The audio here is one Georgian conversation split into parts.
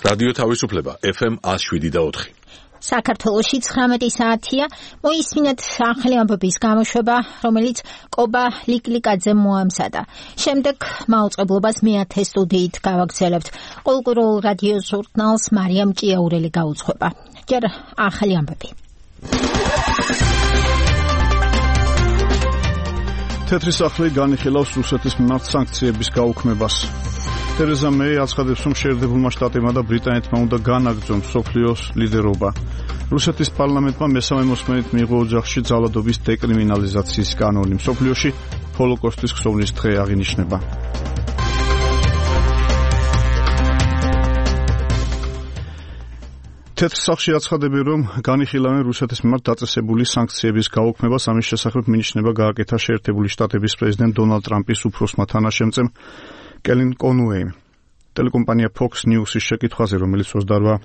რადიო თავისუფლება FM 107.4. საქართველოში 19 საათია. მოისმინეთ ახალი ამბების გამოშვება, რომელიც კობა ლიკლიკაძე მოამზადა. შემდეგ მაუწყებლობას მეათე სტუდიით გავაგრძელებთ. ყოველკვირეულ რადიო ჟურნალს მარიამ ჭიაურელი გაუძღვება. ჯერ ახალი ამბები. თეთრი სახლი განიხილავს რუსეთის მიმართ სანქციების გაუქმებას. თერეზა მეი აცხადებს, რომ შეერთებულმა შტატებმა და ბრიტანეთმა უნდა განაგრძონ მსოფლიოს ლიდერობა. რუსეთის პარლამენტმა მესამე მოსმენით მიიღო ოჯახში ძალადობის დეკრიმინალიზაციის კანონი. მსოფლიოში ჰოლოკოსტის ხსოვნის დღე აღინიშნება. თეთრ სახლში აცხადებენ, რომ განიხილავენ რუსეთის მიმართ დაწესებული სანქციების გაუქმებას. ამის შესახებ მინიშნება გააკეთა შეერთებული შტატების პრეზიდენტ დონალდ ტრამპის უფროსმა თანაშემწემ კელინ კონუეიმ. ტელეკომპანია Fox News-ის შეკითხვაზე, რომელიც 28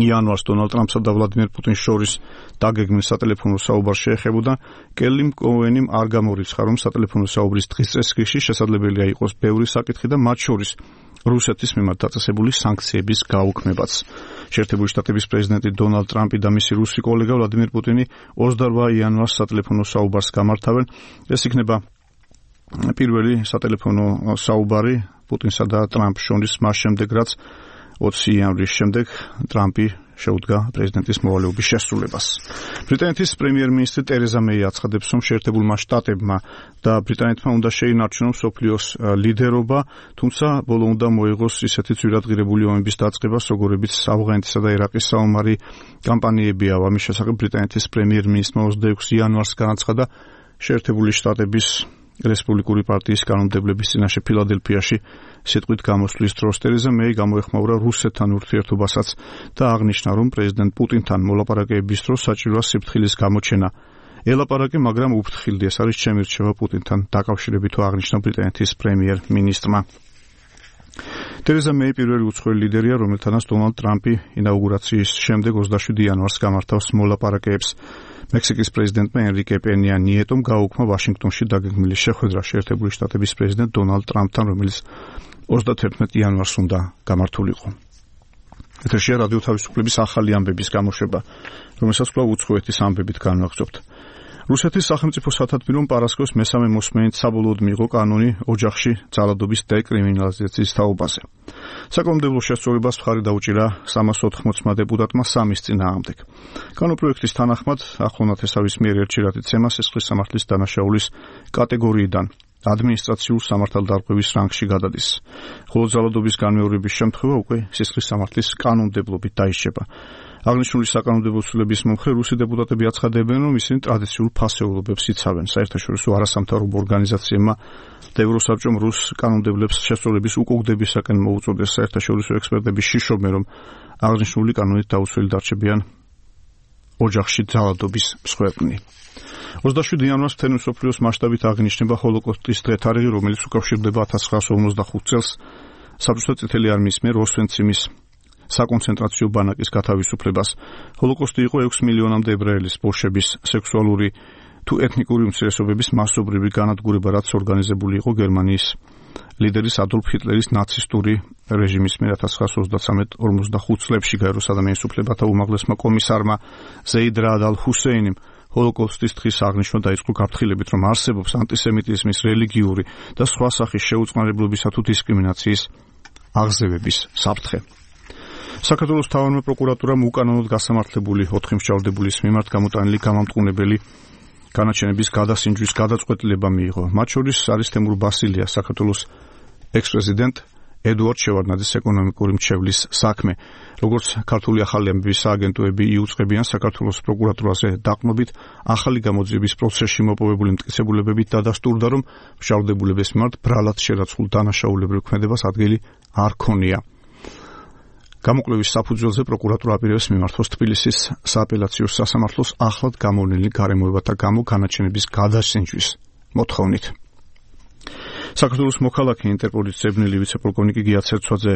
იანვარს დონალდ ტრამპსა და ვლადიმერ პუტინს შორის დაგეგმილ სატელეფონო საუბარს შეეხებოდა, კელინ კონუეიმ არ გამორიცხა, რომ სატელეფონო საუბრის დღის წესრიგში შესაძლებელია იყოს ბევრი საკითხი და მათ შორის რუსეთის მიმართ დაწესებული სანქციების გაუქმებაც. შეერთებული შტატების პრეზიდენტი დონალდ ტრამპი და მისი რუსი კოლეგა ვლადიმერ პუტინი 28 იანვარს სატელეფონო საუბარს გამართავენ. ეს იქნება პირველი სატელეფონო საუბარი პუტინსა და ტრამპს შორის მას შემდეგ, რაც 20 იანვრის შემდეგ ტრამპი შეუდგა პრეზიდენტის მოვალეობის შესრულებას. ბრიტანეთის პრემიერ-მინისტრი ტერეზა მეი აცხადებს, რომ შეერთებულმა შტატებმა და ბრიტანეთმა უნდა შეინარჩუნონ მსოფლიოს ლიდერობა, თუმცა ბოლო უნდა მოიღოს ისეთი ძვირადღირებული ომების დაწყებას, როგორებიც ავღანეთისა და ერაყის საომარი კამპანიებია. ამის შესახებ ბრიტანეთის პრემიერ-მინისტრმა 26 იანვარს განაცხადა შეერთებული შტატების რესპუბლიკური პარტიის კანონმდებლების წინაშე ფილადელფიაში სიტყვით გამოსვლის დროს. ტერეზა მეი გამოეხმაურა რუსეთთან ურთიერთობასაც და აღნიშნა, რომ პრეზიდენტ პუტინთან მოლაპარაკებების დროს საჭიროა სიფრთხილის გამოჩენა. ელაპარაკე, მაგრამ უფრთხილდი, ეს არის ჩემი რჩევა პუტინთან დაკავშირებით, აღნიშნა ბრიტანეთის პრემიერ-მინისტრმა. ტერეზა მეი პირველი უცხოელი ლიდერია, რომელთანაც დონალდ ტრამპი ინაუგურაციის შემდეგ 27 იანვარს გამართავს მოლაპარაკებებს. მექსიკის პრეზიდენტმა ენრიკე პენია ნიეტომ გაუქმა ვაშინგტონში დაგეგმილი შეხვედრა შეერთებული შტატების პრეზიდენტ დონალდ ტრამპთან, რომელიც 31 იანვარს უნდა გამართულიყო. ეთერშია რადიო თავისუფლების ახალი ამბების გამოშვება, რომელსაც კვლავ უცხოეთის ამბებით განვაგრძობთ. რუსეთის სახელმწიფო სათათბირომ პარასკევს მესამე მოსმენით საბოლოოდ მიიღო კანონი ოჯახში ძალადობის დეკრიმინალიზაციის თაობაზე. საკანონმდებლო შესწავლებას მხარი დაუჭირა 380 დეპუტატმა სამის წინააღმდეგ. კანონპროექტის თანახმად ახლონათ ესავის მიერ ერჩივათ ცემა სისხლის სამართლის დანაშაულის კატეგორიიდან ადმინისტრაციულ სამართალდარღვევის რანგში გადადის. ხოლო ძალადობის განმეორების შემთხვევა უკვე სისხლის სამართლის კანონმდებლობით დაიშება. აღნიშნული საკანონმდებლო ცვლილების მომხრე რუსი დეპუტატები აცხადებენ, რომ ისინი ტრადიციულ ფასეულობებს იცავენ. საერთაშორისო არასამთავრობო ორგანიზაციებმა და ევროსაბჭომ რუს კანონმდებლებს შესწავლების უკუგდებისაკენ მოუწოდეს. საერთაშორისო ექსპერტები შიშობენ, რომ აღნიშნული კანონით დაუცველი დარჩებიან ოჯახში ძალადობის მსხვერპლნი. 27 იანვარს მთელი მსოფლიოს მასშტაბით აღინიშნება ჰოლოკოსტის დღე, თარიღი, რომელიც უკავშირდება 1955 წელს საბჭოთა წითელი არმიის მიერ ოსვენციმის საკონცენტრაციო ბანაკის გათავისუფლებას. ჰოლოკოსტი იყო 6 მილიონამდე ებრაელის, ბოლშების, სექსუალური თუ ეთნიკური უმცირესობების მასობრივი განადგურება, რაც ორგანიზებული იყო გერმანიის ლიდერის ადოლფ ჰიტლერის ნაცისტური რეჟიმის მიერ 1933-45 წლებში. გაეროს ადამიანის უფლებათა უმაღლესმა კომისარმა ზეიდ რაად ალ-ჰუსეინიმ ჰოლოკოსტის დღის აღნიშვნა დაიწყო გაფრთხილებით, რომ არსებობს ანტისემიტიზმის, რელიგიური და სხვა სახის შეუწყნარებლობისა თუ დისკრიმინაციის აღზევების საფრთხე. საქართველოს მთავარმა პროკურატურამ უკანონოდ გასამართლებული 4 მსჯავრდებულის მიმართ გამოტანილი გამამტყუნებელი განაჩენების გადასინჯვის გადაწყვეტილება მიიღო. მათ შორის არის თემურ ბასილია, საქართველოს ექს-პრეზიდენტ ედუარდ შევარდნაძის ეკონომიკური მრჩევლის საქმე. როგორც ქართული ახალი ამბების სააგენტოები იუწყებიან, საქართველოს პროკურატურაზე დაყრდნობით ახალი გამოძიების პროცესში მოპოვებული მტკიცებულებებით დადასტურდა, რომ მსჯავრდებულების მიმართ ბრალად შერაცხულ დანაშაულებრივ ქმედებას ადგილი არ ქონია. გამოკვლევის საფუძველზე პროკურატურა აპირებს მიმართოს თბილისის სააპელაციო სასამართლოს ახლად გამოვლენილი გარემოებათა გამო განაჩენების გადასინჯვის მოთხოვნით. საქართველოს მოქალაქე ინტერპოლის ძებნელი ვიცე-პოლკოვნიკი გია ცერცვაძე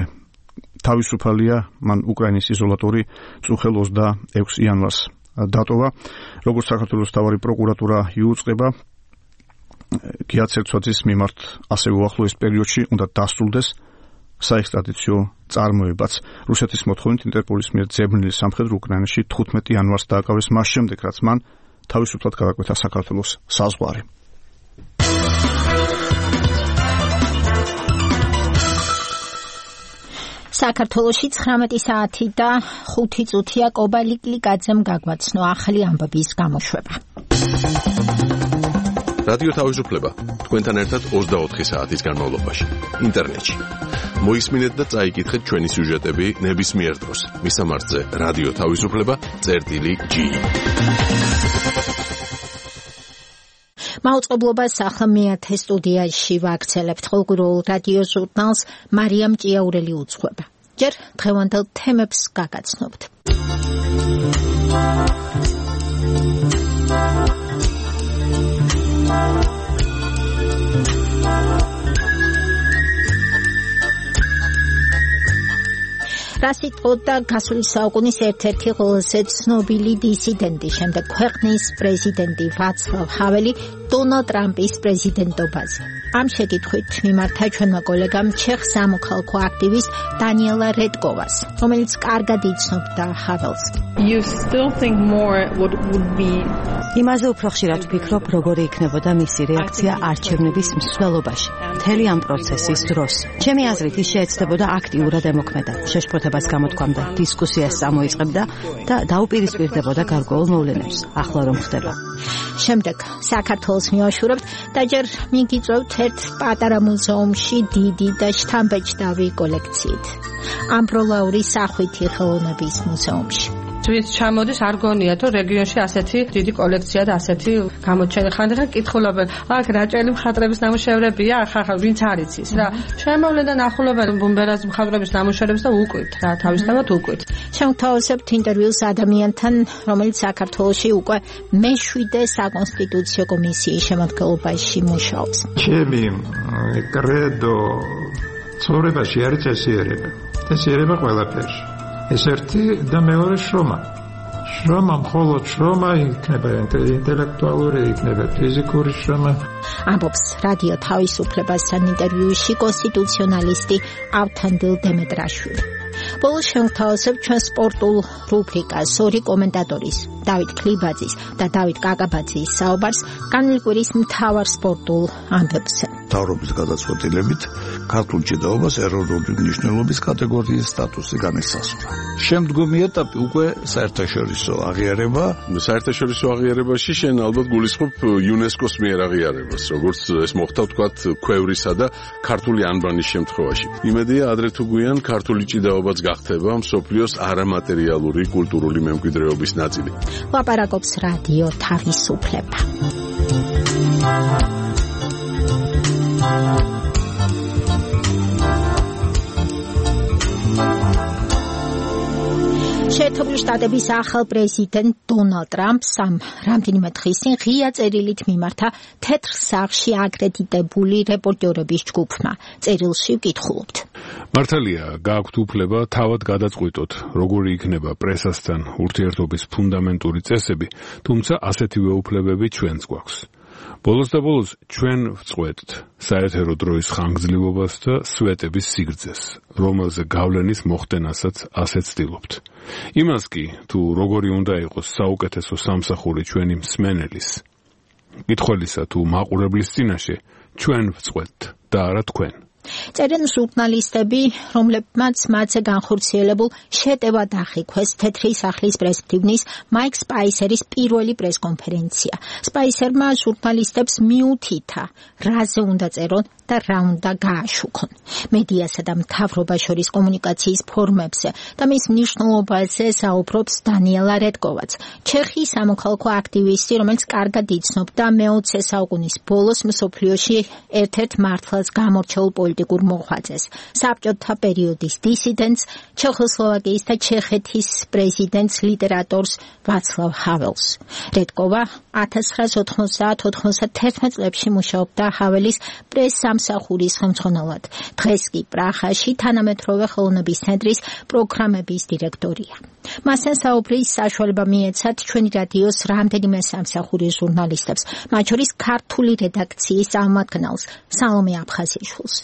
თავისუფალია, მან უკრაინის იზოლატორი წუხელ 26 იანვარს დატოვა. როგორც საქართველოს მთავარი პროკურატურა იუწყება, გია ცერცვაძის მიმართ ასევე უახლოეს პერიოდში უნდა დასრულდეს საექსტრადიციო წარმოებაც. რუსეთის მოთხოვნით ინტერპოლის მიერ ძებნილი სამხედრო უკრაინაში 15 იანვარს დააკავეს მას შემდეგ, რაც მან თავისუფლად გადაკვეთა საქართველოს საზღვარი. საქართველოში 19 საათი და 5 წუთია კობა ლიკლიკაძემ გაგვაცნო ახალი ამბების გამოშვება. რადიო თავისუფლება თქვენთან ერთად 24 საათის განმავლობაში ინტერნეტში. მოისმინეთ და წაიკითხეთ ჩვენი სიუჟეტები ნებისმიერ დროს. მისამართზე რადიო თავისუფლება.gi. მაუწყებლობას ახლა მეათე სტუდიაში ვაქცელებთ ყოველგვარულ რადიო ჟურნალს მარიამ ჭიაურელი უძღვება. ჯერ დღევანდელ თემებს გაგაცნობთ. რას იტყოდა გასული საუკუნის ერთ-ერთი ყველაზე ცნობილი დისიდენტი, შემდეგ ქვეყნის პრეზიდენტი ვაცლავ ჰაველი დონალდ ტრამპის პრეზიდენტობაზე. ამ შეკითხვით მიმართა ჩვენმა კოლეგამ ჩეხ სამოქალაქო აქტივისტ დანიელა რედკოვას, რომელიც კარგად იცნობდა ჰაველს. You still think more what would be იმაზე უფრო ხშირად ვფიქრობ, როგორი იქნებოდა მისი რეაქცია არჩევნების მსვლელობაში, მთელი ამ პროცესის დროს. ჩემი აზრით, ის შეეცდებოდა აქტიურად ემოქმედა, შეშფოთებას გამოთქვამდა, დისკუსიას წამოიწყებდა და დაუპირისპირდებოდა გარკვეულ მოვლენებს. ახლა რომ ხდება. შემდეგ საქართველოს მივაშურებთ და ჯერ მიგიწევთ ერთ პატარა მუზეუმში დიდი და შთამბეჭდავი კოლექციით. ამბროლაურის სახვითი ხელოვნების მუზეუმში. ვინც ჩამოდის არ გონია თუ რეგიონში ასეთი დიდი კოლექცია და ასეთი გამოჩენა ხანდახან კითხულობენ აქ რაჭელი მხატვრების ნამუშევრებია ხახა ვინც არ იცის რა შემოვლენდა ნახულობენ ბუმბერას მხატვრების ნამუშევრებს და უკვით რა თავისთავად უკვით შევთავაზებთ ინტერვიუს ადამიანთან რომელიც საქართველოში უკვე მე-7 საკონსტიტუციო კომისიის შემადგენლობაში მუშაობს ჩემი კრედო ცხოვრებაში არის წესიერება ყველაფერში ეს ერთი და მეორე შრომა მხოლოდ შრომა იქნება ინტელექტუალური, იქნება ფიზიკური შრომა. ამბობს რადიო თავისუფლებასთან ინტერვიუში კონსტიტუციონალისტი ავთანდილ დემეტრაშვილი. ბოლოს შევთავაზებთ ჩვენ სპორტულ რუბრიკას ორი კომენტატორის, დავით ქლიბაძის და დავით კაკაბაძის საუბარს განვლილი კვირის მთავარ სპორტულ ამბებზე. მთავრობის გადაწყვეტილებით ქართულ ჭიდაობას ეროვნული მნიშვნელობის კატეგორიის სტატუსი განისაზღვრა. შემდგომი ეტაპი უკვე საერთაშორისო აღიარება. საერთაშორისო აღიარებაში შენ ალბათ გულისხმობ იუნესკოს მიერ აღიარებას, როგორც ეს მოხდა ვთქვათ ქვევრისა და ქართული ანბანის შემთხვევაში. იმედია ადრე თუ გვიან ქართული ჭიდაობაც გახდება მსოფლიოს არამატერიალური კულტურული მემკვიდრეობის ნაწილი. ლაპარაკობს რადიო თავისუფლება. შეერთებული შტატების ახალ პრეზიდენტ დონალდ ტრამპს რამდენიმე დღის წინ ღია წერილით მიმართა თეთრ სახლში აკრედიტებული რეპორტერების ჯგუფმა. წერილში ვკითხულობთ. მართალია, გააქვთ უფლება თავად გადაწყვიტოთ, როგორი იქნება პრესასთან ურთიერთობის ფუნდამენტური წესები, თუმცა ასეთივე უფლებები ჩვენც გვაქვს. ბოლოს და ბოლოს ჩვენ ვწყვეტთ საერთო დროის ხანგრძლივობას და სვეტების სიგრძეს, რომელზე გავლენის მოხდენასაც ასეც ვცდილობთ. იმას კი, თუ როგორი უნდა იყოს საუკეთესო სამსახური ჩვენი მსმენელის, მკითხველისა თუ მაყურებლის წინაშე, ჩვენ ვწყვეტთ და არა თქვენ. წერენ ჟურნალისტები, რომლებმაც მათზე განხორციელებულ შეტევად აღიქვეს თეთრი სახლის პრესმდივნის მაიკ სპაისერის პირველი პრესკონფერენცია. სპაისერმა ჟურნალისტებს მიუთითა, რაზე უნდა წერონ და რა უნდა გააშუქონ. მედიასა და მთავრობას შორის კომუნიკაციის ფორმებზე და მის მნიშვნელობაზე საუბრობს დანიელა რედკოვაც, ჩეხის სამოქალაქო აქტივისტი, რომელიც კარგად იცნობდა მე-20 საუკუნის ბოლოს მსოფლიოში ერთ-ერთ მართლაც გამორჩეულ პოლიტიკურ მოღვაწეს, საბჭოთა პერიოდის დისიდენტს, ჩეხოსლოვაკიის და ჩეხეთის პრეზიდენტს ლიტერატორს ვაცლავ ჰაველს. რედკოვა 1990-91 წლებში მუშაობდა ჰაველის პრეს-სამსახურის ხელმძღვანელად. დღეს კი პრაღაში თანამედროვე ხელოვნების ცენტრის პროგრამების დირექტორია. მასთან საუბრის საშუალება მიეცათ ჩვენი რადიოს რამდენიმე სამსახურის ჟურნალისტებს, მათ შორის ქართული რედაქციის წარმომადგენელს სალომე აფხაზიშვილს.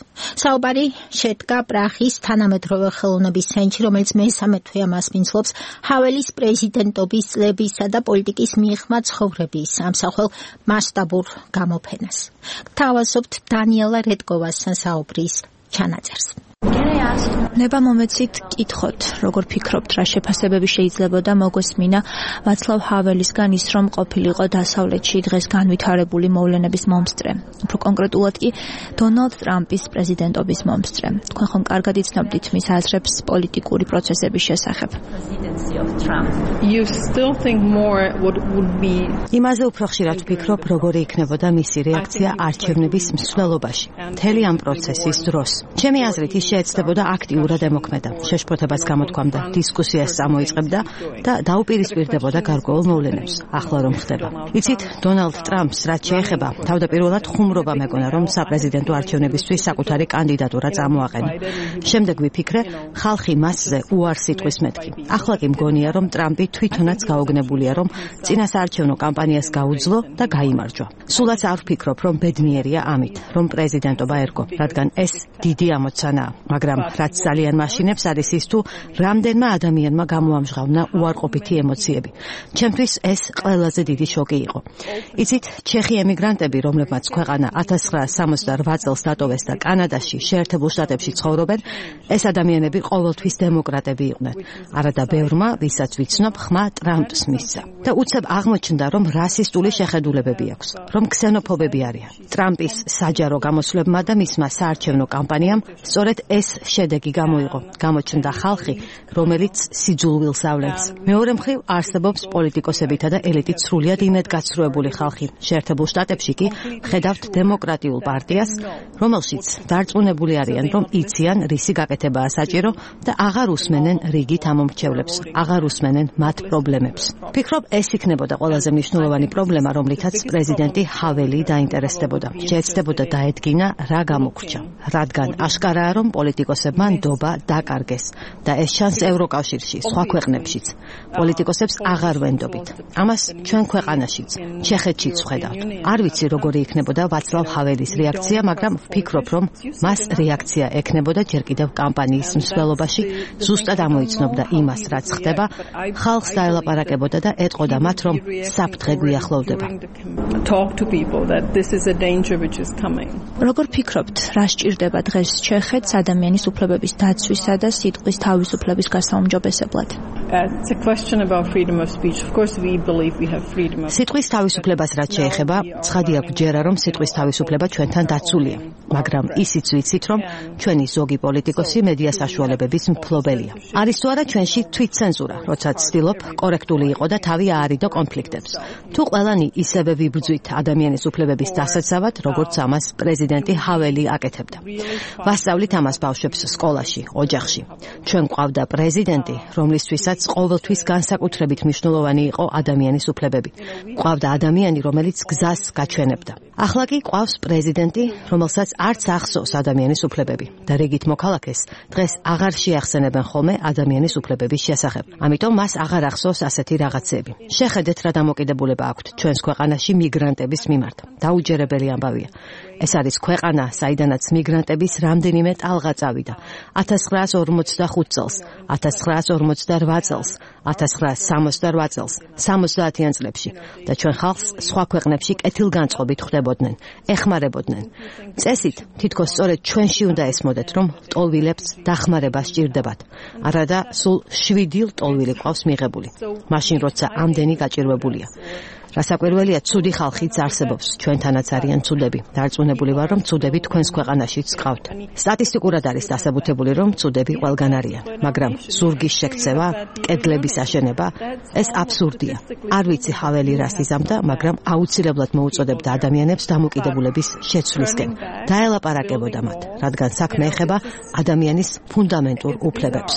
საუბარი შედგა პრაღის თანამედროვე ხელოვნების ცენტრში, რომელიც მესამე თვეა მასპინძლობს ჰაველის პრეზიდენტობის წლებისა და პოლიტიკის მიღმა ცხოვრების ამსახველ მასშტაბურ გამოფენას. Გთავაზობთ დანიელა რედკოვასთან საუბრის ჩანაწერს. ნება მომეცით კითხოთ, როგორ ფიქრობთ, რა შეფასებები შეიძლებოდა მოგესმინა ვაცლავ ჰაველისგან ის, რომ ყოფილიყო დასავლეთში დღეს განვითარებული მოვლენების მომსწრე. უფრო კონკრეტულად კი დონალდ ტრამპის პრეზიდენტობის მომსწრე. თქვენ ხომ კარგად იცნობდით მის აზრებს პოლიტიკური პროცესების შესახებ. იმაზე უფრო ხშირად ვფიქრობ, როგორი იქნებოდა მისი რეაქცია არჩევნების მსვლელობაში, მთელი ამ პროცესის დროს. ჩემი აზრით ის შეეცდებოდა აქტიურად ემოქმედა, შეშფოთებას გამოთქვამდა, დისკუსიას წამოიწყებდა და დაუპირისპირდებოდა გარკვეულ მოვლენებს. ახლა რომ ხდება. იცით, დონალდ ტრამპს რაც შეეხება, თავდაპირველად ხუმრობა მეგონა, რომ საპრეზიდენტო არჩევნებისთვის საკუთარი კანდიდატურა წამოაყენა. შემდეგ ვიფიქრე, ხალხი მასზე უარს იტყვის მეთქი. ახლა კი მგონია, რომ ტრამპი თვითონაც გაუგნებულია, რომ წინასაარჩევნო კამპანიას გაუძლო და გაიმარჯვა. სულაც არ ვფიქრობ, რომ ბედნიერია ამით, რომ პრეზიდენტობა ერგო, რადგან ეს დიდი ამოცანაა, მაგრამ რაც ძალიან მაშინებს არის ის თუ რამდენმა ადამიანმა გამოამჟღავნა უარყოფითი ემოციები. ჩემთვის ეს ყველაზე დიდი შოკი იყო. იცით, ჩეხი ემიგრანტები, რომლებმაც ქვეყანა 1968 წელს დატოვეს და კანადაში, შეერთებულ შტატებში ცხოვრობენ, ეს ადამიანები ყოველთვის დემოკრატები იყვნენ. არადა ბევრმა, ვისაც ვიცნობ, ხმა ტრამპს მისცა. და უცებ აღმოჩნდა, რომ რასისტული შეხედულებები აქვს, რომ ქსენოფობები არიან. ტრამპის საჯარო გამოსვლებმა და მისმა საარჩევნო კამპანიამ სწორედ ეს შედეგი გამოიღო. გამოჩნდა ხალხი, რომელიც სიძულვილს ავლენს. მეორე მხრივ არსებობს პოლიტიკოსებითა და ელიტით სრულიად იმედგაცრუებული ხალხი. შეერთებულ შტატებში კი ხედავთ დემოკრატიულ პარტიას, რომელშიც დარწმუნებული არიან, რომ იციან რისი გაკეთებაა საჭირო და აღარ უსმენენ რიგით ამომრჩევლებს, აღარ უსმენენ მათ პრობლემებს. ფიქრობ, ეს იქნებოდა ყველაზე მნიშვნელოვანი პრობლემა, რომლითაც პრეზიდენტი ჰაველი დაინტერესდებოდა. შეეცდებოდა დაედგინა რა გამოგრჩა, რადგან აშკარაა, რომ პოლიტიკოსებმა ნდობა დაკარგეს და ეს შანსი ევროკავშირში, სხვა ქვეყნებშიც. პოლიტიკოსებს აღარ ვენდობით. ამას ჩვენ ქვეყანაშიც, ჩეხეთშიც ვხედავთ. არ ვიცი როგორი იქნებოდა ვაცლავ ჰაველის რეაქცია, მაგრამ ვფიქრობ, რომ მას რეაქცია ექნებოდა ჯერ კიდევ კამპანიის მსვლელობაში, ზუსტად ამოიცნობდა იმას, რაც ხდება, ხალხს დაელაპარაკებოდა და ეტყოდა მათ, რომ საფრთხე გვიახლოვდება. როგორ ფიქრობთ, რა სჭირდება დღეს ჩეხეთს ადამიანის უფლებების დაცვისა და სიტყვის თავისუფლების გასაუმჯობესებლად? სიტყვის თავისუფლებას რაც შეეხება, ცხადია გვჯერა, რომ სიტყვის თავისუფლება ჩვენთან დაცულია, მაგრამ ისიც ვიცით, რომ ჩვენი ზოგი პოლიტიკოსი მედია საშუალებების მფლობელია. არის თუ არა ჩვენში თვითცენზურა, როცა ცდილობ კორექტული იყო და თავი აარიდო კონფლიქტებს. თუ ყველანი ისევე ვიბრძვით ადამიანის უფლებების დასაცავად, როგორც ამას პრეზიდენტი ჰაველი აკეთებდა. ვასწავლით ამას ბავშვებს სკოლაში, ოჯახში. ჩვენ გვყავდა პრეზიდენტი, რომლისთვისაც ყოველთვის განსაკუთრებით მნიშვნელოვანი იყო ადამიანის უფლებები. გვყავდა ადამიანი, რომელიც გზას გაჩვენებდა. ახლა კი გვყავს პრეზიდენტი, რომელსაც არც ახსოვს ადამიანის უფლებები და რიგით მოქალაქეს დღეს აღარ შეახსენებენ ხოლმე ადამიანის უფლებების შესახებ. ამიტომ მას აღარ ახსოვს ასეთი რაღაცები. შეხედეთ რა დამოკიდებულება აქვთ ჩვენს ქვეყანაში მიგრანტების მიმართ. დაუჯერებელი ამბავია. ეს არის ქვეყანა, საიდანაც მიგრანტების რამდენიმე ტალღა წავიდა. 1945 წელს, 1948 წელს, 1968 წელს, 70-იან წლებში და ჩვენ ხალხს სხვა ქვეყნებში კეთილგანწყობით ხვდებოდნენ, ეხმარებოდნენ. წესით, თითქოს სწორედ ჩვენში უნდა ესმოდეთ, რომ ლტოლვილებს დახმარება სჭირდებათ. არადა სულ 7 ლტოლვილი ყავს მიღებული. მაშინ როცა ამდენი გაჭირვებულია. რასაკვირველია, ცუდი ხალხიც არსებობს, ჩვენთანაც არიან ცუდები. დარწმუნებული ვარ, რომ ცუდები თქვენს ქვეყანაშიც გყავთ. სტატისტიკურად არის დასაბუთებული, რომ ცუდები ყველგან არიან, მაგრამ ზურგის შექცევა, კედლების აშენება, ეს აბსურდია. არ ვიცი ჰაველი რას იზამდა, მაგრამ აუცილებლად მოუწოდებდა ადამიანებს დამოკიდებულების შეცვლისკენ. დაელაპარაკებოდა მათ, რადგან საქმე ეხება ადამიანის ფუნდამენტურ უფლებებს.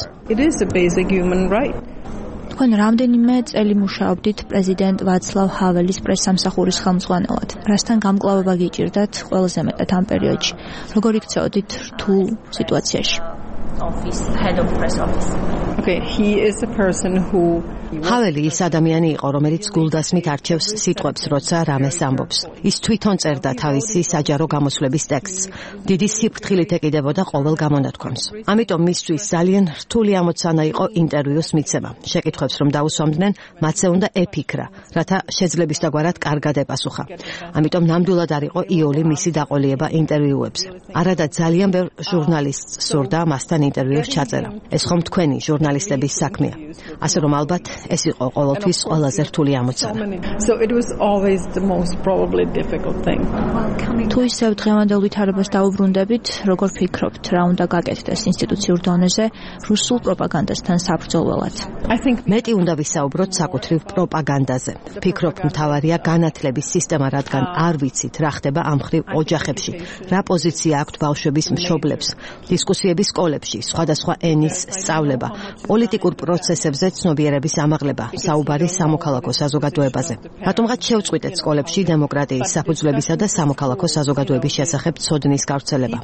თქვენ რამდენიმე წელი მუშაობდით პრეზიდენტ ვაცლავ ჰაველის პრესსამსახურის ხელმძღვანელად. რასთან გამკლავება გიჭირდათ ყველაზე მეტად ამ პერიოდში? როგორ იქცეოდით რთულ სიტუაციაში? ჰაველი ის ადამიანი იყო, რომელიც გულდასმით არჩევს სიტყვებს, როცა რამეს ამბობს. ის თვითონ წერდა თავისი საჯარო გამოსვლების ტექსტს. დიდი სიფრთხილით ეკიდებოდა ყოველ გამონათქვამს. ამიტომ მისთვის ძალიან რთული ამოცანა იყო ინტერვიუს მიცემა. შეკითხვებს რომ დაუსვამდნენ, მათზე უნდა ეფიქრა, რათა შეძლებისდაგვარად კარგად ეპასუხა. ამიტომ ნამდვილად არ იყო იოლი მისი დაყოლიება ინტერვიუებზე. არადა ძალიან ბევრ ჟურნალისტს სურდა მასთან ინტერვიუს ჩაწერა. ეს ხომ თქვენი ჟურნალისტების საქმეა. ასე რომ ალბათ ეს იყო ყოველთვის ყველაზე რთული ამოცანა. თუ ისევ დღევანდელ ვითარებას დაუბრუნდებით, როგორ ფიქრობთ, რა უნდა გაკეთდეს ინსტიტუციურ დონეზე რუსულ პროპაგანდასთან საბრძოლველად? მეტი უნდა ვისაუბროთ საკუთრივ პროპაგანდაზე. ფიქრობ, მთავარია განათლების სისტემა, რადგან არ ვიცით, რა ხდება ამ მხრივ ოჯახებში, რა პოზიცია აქვთ ბავშვების მშობლებს, დისკუსიების სკოლებში, სხვადასხვა ენის სწავლება, პოლიტიკურ პროცესებზე ცნობიერების ამაღლება, საუბარი სამოქალაქო საზოგადოებაზე. რატომღაც შევწყვიტეთ სკოლებში დემოკრატიის საფუძვლებისა და სამოქალაქო საზოგადოების შესახებ ცოდნის გავრცელება.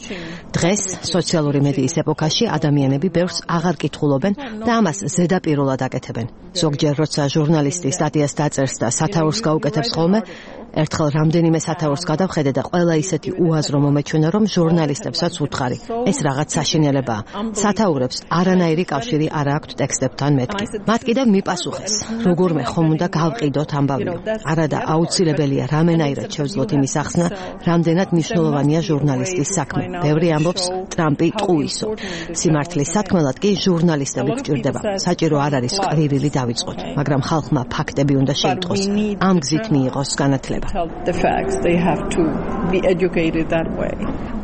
დღეს სოციალური მედიის ეპოქაში ადამიანები ბევრს აღარ კითხულობენ და ამას ზედაპირულად აკეთებენ. ზოგჯერ როცა ჟურნალისტი სტატიას დაწერს და სათაურს გაუკეთებს ხოლმე, ერთხელ რამდენიმე სათაურს გადავხედე და ყველა ისეთი უაზრო მომეჩვენა, რომ ჟურნალისტებსაც უთხარი. ეს რაღაც საშინელებაა. სათაურებს არანაირი კავშირი არ აქვთ ტექსტებთან მეთქი. მათ კიდევ მიპასუხეს, როგორმე ხომ უნდა გავყიდოთ ამბავიო. არადა აუცილებელია რამენაირად შევძლოთ იმის ახსნა, რამდენად მნიშვნელოვანია ჟურნალისტის საქმე. ბევრი ამბობს, ტრამპი ტყუისო. სიმართლის სათქმელად კი ჟურნალისტები გვჭირდება. საჭირო არ არის ყრილილი დავიწყოთ, მაგრამ ხალხმა ფაქტები უნდა შეიტყოს. ამ გზით მიიღოს განათლება.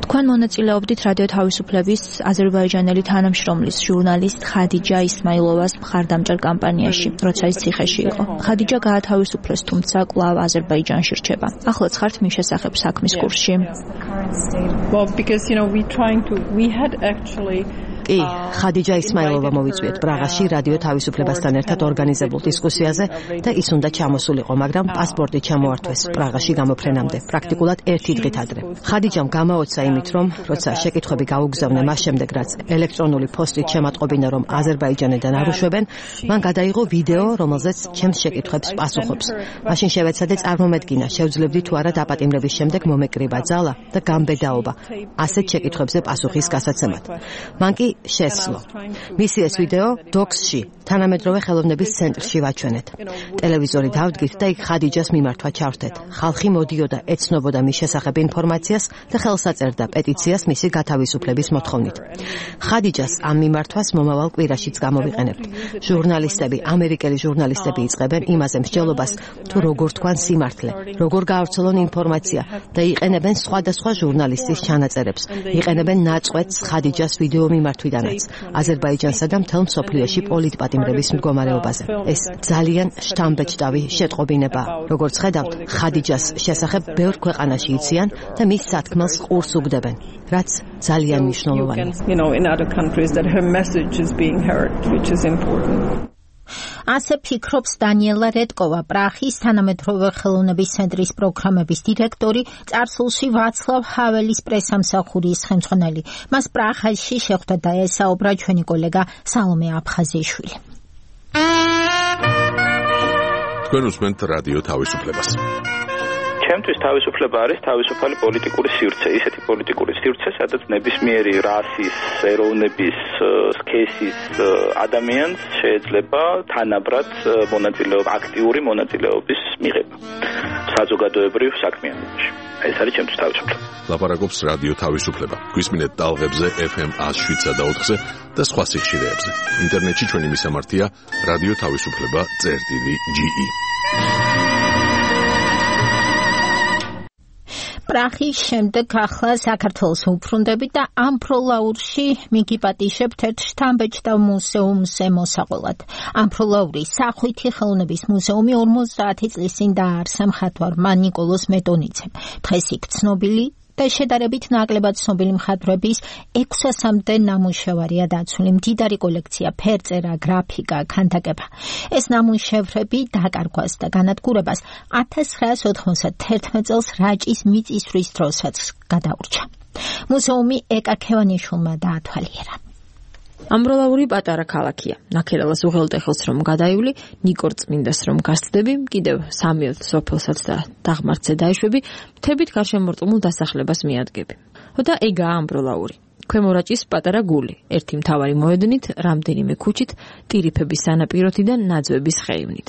თქვენ მონაწილეობდით რადიო თავისუფლების აზერბაიჯანელი თანამშრომლის ჟურნალისტ ხადიჯა ისმაილოვას მხარდამჭერ კამპანიაში, როცა ის ციხეში იყო. ხადიჯა გაათავისუფლეს, თუმცა კვლავ აზერბაიჯანში რჩება. ახლაც ხართ მის შესახებ საქმის კურსში. კი, ხადიჯა ისმაილოვა მოვიწვიეთ პრაღაში რადიო თავისუფლებასთან ერთად ორგანიზებულ დისკუსიაზე და ის უნდა ჩამოსულიყო, მაგრამ პასპორტი ჩამოართვეს პრაღაში გამოფრენამდე, პრაქტიკულად ერთი დღით ადრე. ხადიჯამ გამაოცა იმით, რომ როცა შეკითხვები გაუგზავნე მას შემდეგ, რაც ელექტრონული პოსტით შემატყობინა, რომ აზერბაიჯანიდან არ უშვებენ, მან გადაიღო ვიდეო, რომელზეც ჩემს შეკითხვებს პასუხობს. მაშინ შევეცადე წარმომედგინა, შევძლებდი თუ არა დაპატიმრების შემდეგ მომეკრიბა ძალა და გამბედაობა ასეთ შეკითხვებზე პასუხის გასაცემად. მან კი შესძლო. მისი ეს ვიდეო დოქსში, თანამედროვე ხელოვნების ცენტრში ვაჩვენეთ. ტელევიზორი დავდგით და იქ ხადიჯას მიმართვა ჩავრთეთ. ხალხი მოდიოდა, ეცნობოდა მის შესახებ ინფორმაციას და ხელს აწერდა პეტიციას მისი გათავისუფლების მოთხოვნით. ხადიჯას ამ მიმართვას მომავალ კვირაშიც გამოვიყენებთ. ჟურნალისტები, ამერიკელი ჟურნალისტები იწყებენ იმაზე მსჯელობას, თუ როგორ თქვან სიმართლე, როგორ გაავრცელონ ინფორმაცია და იყენებენ სხვადასხვა ჟურნალისტის ჩანაწერებს. იყენებენ ნაწყვეტს ხადიჯას ვიდეო მიმართვიდანაც აზერბაიჯანსა და მთელ მსოფლიოში პოლიტპატიმრების მდგომარეობაზე. ეს ძალიან შთამბეჭდავი შეტყობინებაა. როგორც ხედავთ, ხადიჯას შესახებ ბევრ ქვეყანაში იციან და მის სათქმელს ყურს უგდებენ, რაც ძალიან მნიშვნელოვანია. ასე ფიქრობს დანიელა რედკოვა, პრაღის თანამედროვე ხელოვნების ცენტრის პროგრამების დირექტორი, წარსულში ვაცლავ ჰაველის პრესამსახურის ხელმძღვანელი. მას პრაღაში შეხვდა და ესაუბრა ჩვენი კოლეგა სალომე აფხაზიშვილი. თქვენ უსმენთ რადიო თავისუფლებას. ჩემთვის თავისუფლება არის თავისუფალი პოლიტიკური სივრცე, ისეთი პოლიტიკური სივრცე, სადაც ნებისმიერი რასის, ეროვნების, სქესის ადამიანს შეიძლება თანაბრად მონაწილეობა, აქტიური მონაწილეობის მიღება საზოგადოებრივ საქმიანობაში. ეს არის ჩემთვის თავისუფლება. ლაპარაკობს რადიო თავისუფლება. გვისმინეთ ტალღებზე FM 107.4-ზე და სხვა სიხშირეებზე. ინტერნეტში ჩვენი მისამართია რადიო თავისუფლება.ge. პრაღის შემდეგ ახლა საქართველოს უბრუნდებით და ამ პროლაურში მიგიპატიშებთ ერთ შთამბეჭდავ მუზეუმს მოსაყოლად. ამ პროლაურის სახვითი ხელოვნების მუზეუმი 50 წლის წინ დააარსა მხატვარმა ნიკოლოზ მეტონიძემ. დღეს იქ ცნობილი და შედარებით ნაკლებად ცნობილი მხატვრების 600-მდე ნამუშევარია დაცული. მდიდარი კოლექცია, ფერწერა, გრაფიკა, ქანდაკება. ეს ნამუშევრები დაკარგვას და განადგურებას 1991 წელს რაჭის მიწისძვრის დროსაც გადაურჩა. მუზეუმი ეკა ქევანიშვილმა დაათვალიერა. ამბროლაური პატარა ქალაქია. ნაქერალას უღელტეხილს რომ გადაივლი, ნიკორწმინდას რომ გასცდები, კიდევ 3 სოფელსაც და დაღმართზე დაიშვები, მთებით გარშემორტყმულ დასახლებას მიადგები. და ეგაა ამბროლაური. ქვემორაჭის პატარა გული, ერთი მთავარი მოედნით, რამდენიმე ქუჩით, ტირიფების სანაპიროთიდან ნაძვების ხეივნით.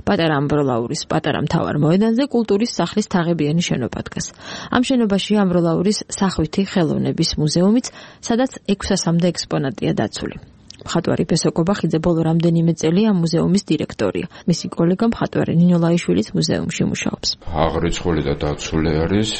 პატარა ამბროლაურის პატარა მთავარ მოედანზე კულტურის სახლის თაღებიანი შენობა დგას. ამ შენობაში ამბროლაურის სახვითი ხელოვნების მუზეუმიც, სადაც 600-მდე ექსპონატია დაცული. მხატვარი ბესო კობახიძე ბოლო რამდენიმე წელი ამ მუზეუმის დირექტორია. მისი კოლეგა მხატვარი ნინო ლაიშვილიც მუზეუმში მუშაობს. აღრიცხული და დაცული არის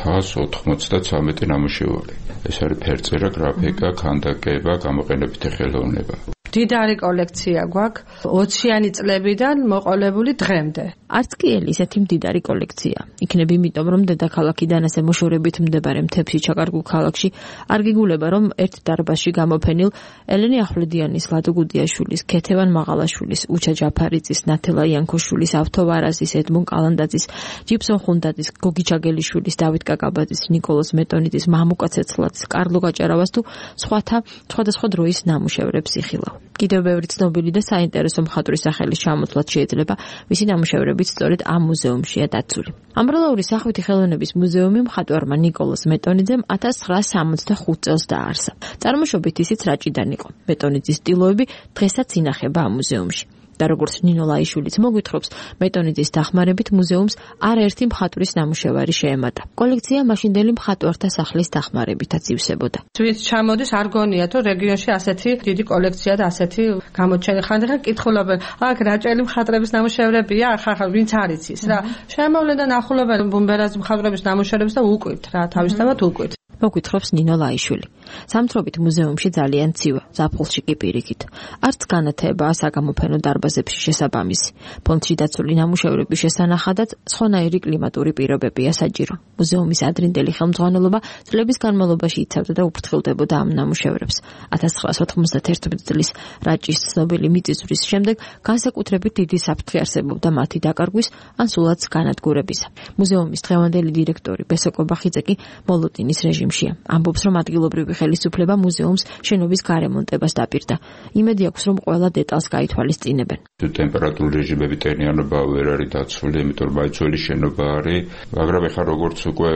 593 ნამუშევარი. ეს არის ფერწერა, გრაფიკა, ქანდაკება, გამოყენებითი ხელოვნება. დიდარი კოლექცია გვაქვს 20-იანი წლებიდან მოყოლებული დღემდე. არც კი ისეთი მდიდარი კოლექცია. იქნებ იმიტომ, რომ დედაქალაქიდან ასე მოშორებით მდებარე მთებში ჩაკარგულ ქალაქში არ გიგულება, რომ ერთ დარბაზში გამოფენილ ელენე ახვლედიანის, ლადო გუდიაშვილის, ქეთევან მაღალაშვილის, უჩა ჯაფარიძის, ნათელა იანქოშვილის, ავთო ვარაზის, ედმონ კალანდაძის, ჯიფსონ ხუნდაძის, გოგი ჩაგელიშვილის, დავით კაკაბაძის, ნიკოლოზ მეტონიძის, მამუკა ცეცხლაძის, კარლო გაჭარავას თუ სხვადასხვა დროის ნამუშევრებს იხილავ. კიდევ ბევრი ცნობილი და საინტერესო მხატვრის სახელის ჩამოთვლაც შეიძლება, მისი ნამუშევრებიც სწორედ ამ მუზეუმშია დაცული. ამბროლაურის სახვითი ხელოვნების მუზეუმი მხატვარმა ნიკოლოზ მეტონიძემ 1965 წელს დააარსა. წარმოშობით ისიც რაჭიდან იყო. მეტონიძის სტილოები დღესაც ინახება ამ მუზეუმში. და როგორც ნინო ლაიშვილიც მოგვითხრობს, მეტონიძის დახმარებით მუზეუმს არაერთი მხატვრის ნამუშევარი შეემატა. კოლექცია მაშინდელი მხატვართა სახლის დახმარებითაც ივსებოდა. ვინც ჩამოდის, არ გონიათ, რომ რეგიონში ასეთი დიდი კოლექცია და ასეთი გამოჩენი ხანდახან კითხულობენ, აქ რაჭელი მხატვრების ნამუშევრებია, ხახალ ვინც არ იცის რა. შემოვლენ და ნახულობენ ბუმბერაზის მხატვრების ნამუშევრებს და უკვით რა, თავისთავად უკვით. მოგვითხრობს ნინო ლაიშვილი. სამთრობით მუზეუმში ძალიან ცივა, ზაფხულში კი პირიქით. არც განათებაა საგამოფენო დარბაზებში შესაბამისი. ფონდში დაცული ნამუშევრების შესანახადაც სხვანაირი კლიმატური პირობებია საჭირო. მუზეუმის ადრინდელი ხელმძღვანელობა წლების განმავლობაში იცავდა და უფრთხილდებოდა ამ ნამუშევრებს. 1991 წლის რაჭის ცნობილი მიწისძვრის შემდეგ განსაკუთრებით დიდი საფრთხე არსებობდა მათი დაკარგვის ან სულაც განადგურებისა. მუზეუმის დღევანდელი დირექტორი ბესო კობახიძე კი მოლოდინის რეჟიმშია. ამბობს, რომ ადგილობრივი ხელისუფლება მუზეუმს შენობის გარემონტებას დაპირდა. იმედი აქვს, რომ ყველა დეტალს გაითვალისწინებენ. ტემპერატურული რეჟიმები ტენიანობა ვერ არის დაცული, იმიტომ რომ მაიცველი შენობა არის, მაგრამ ეხლა როგორც უკვე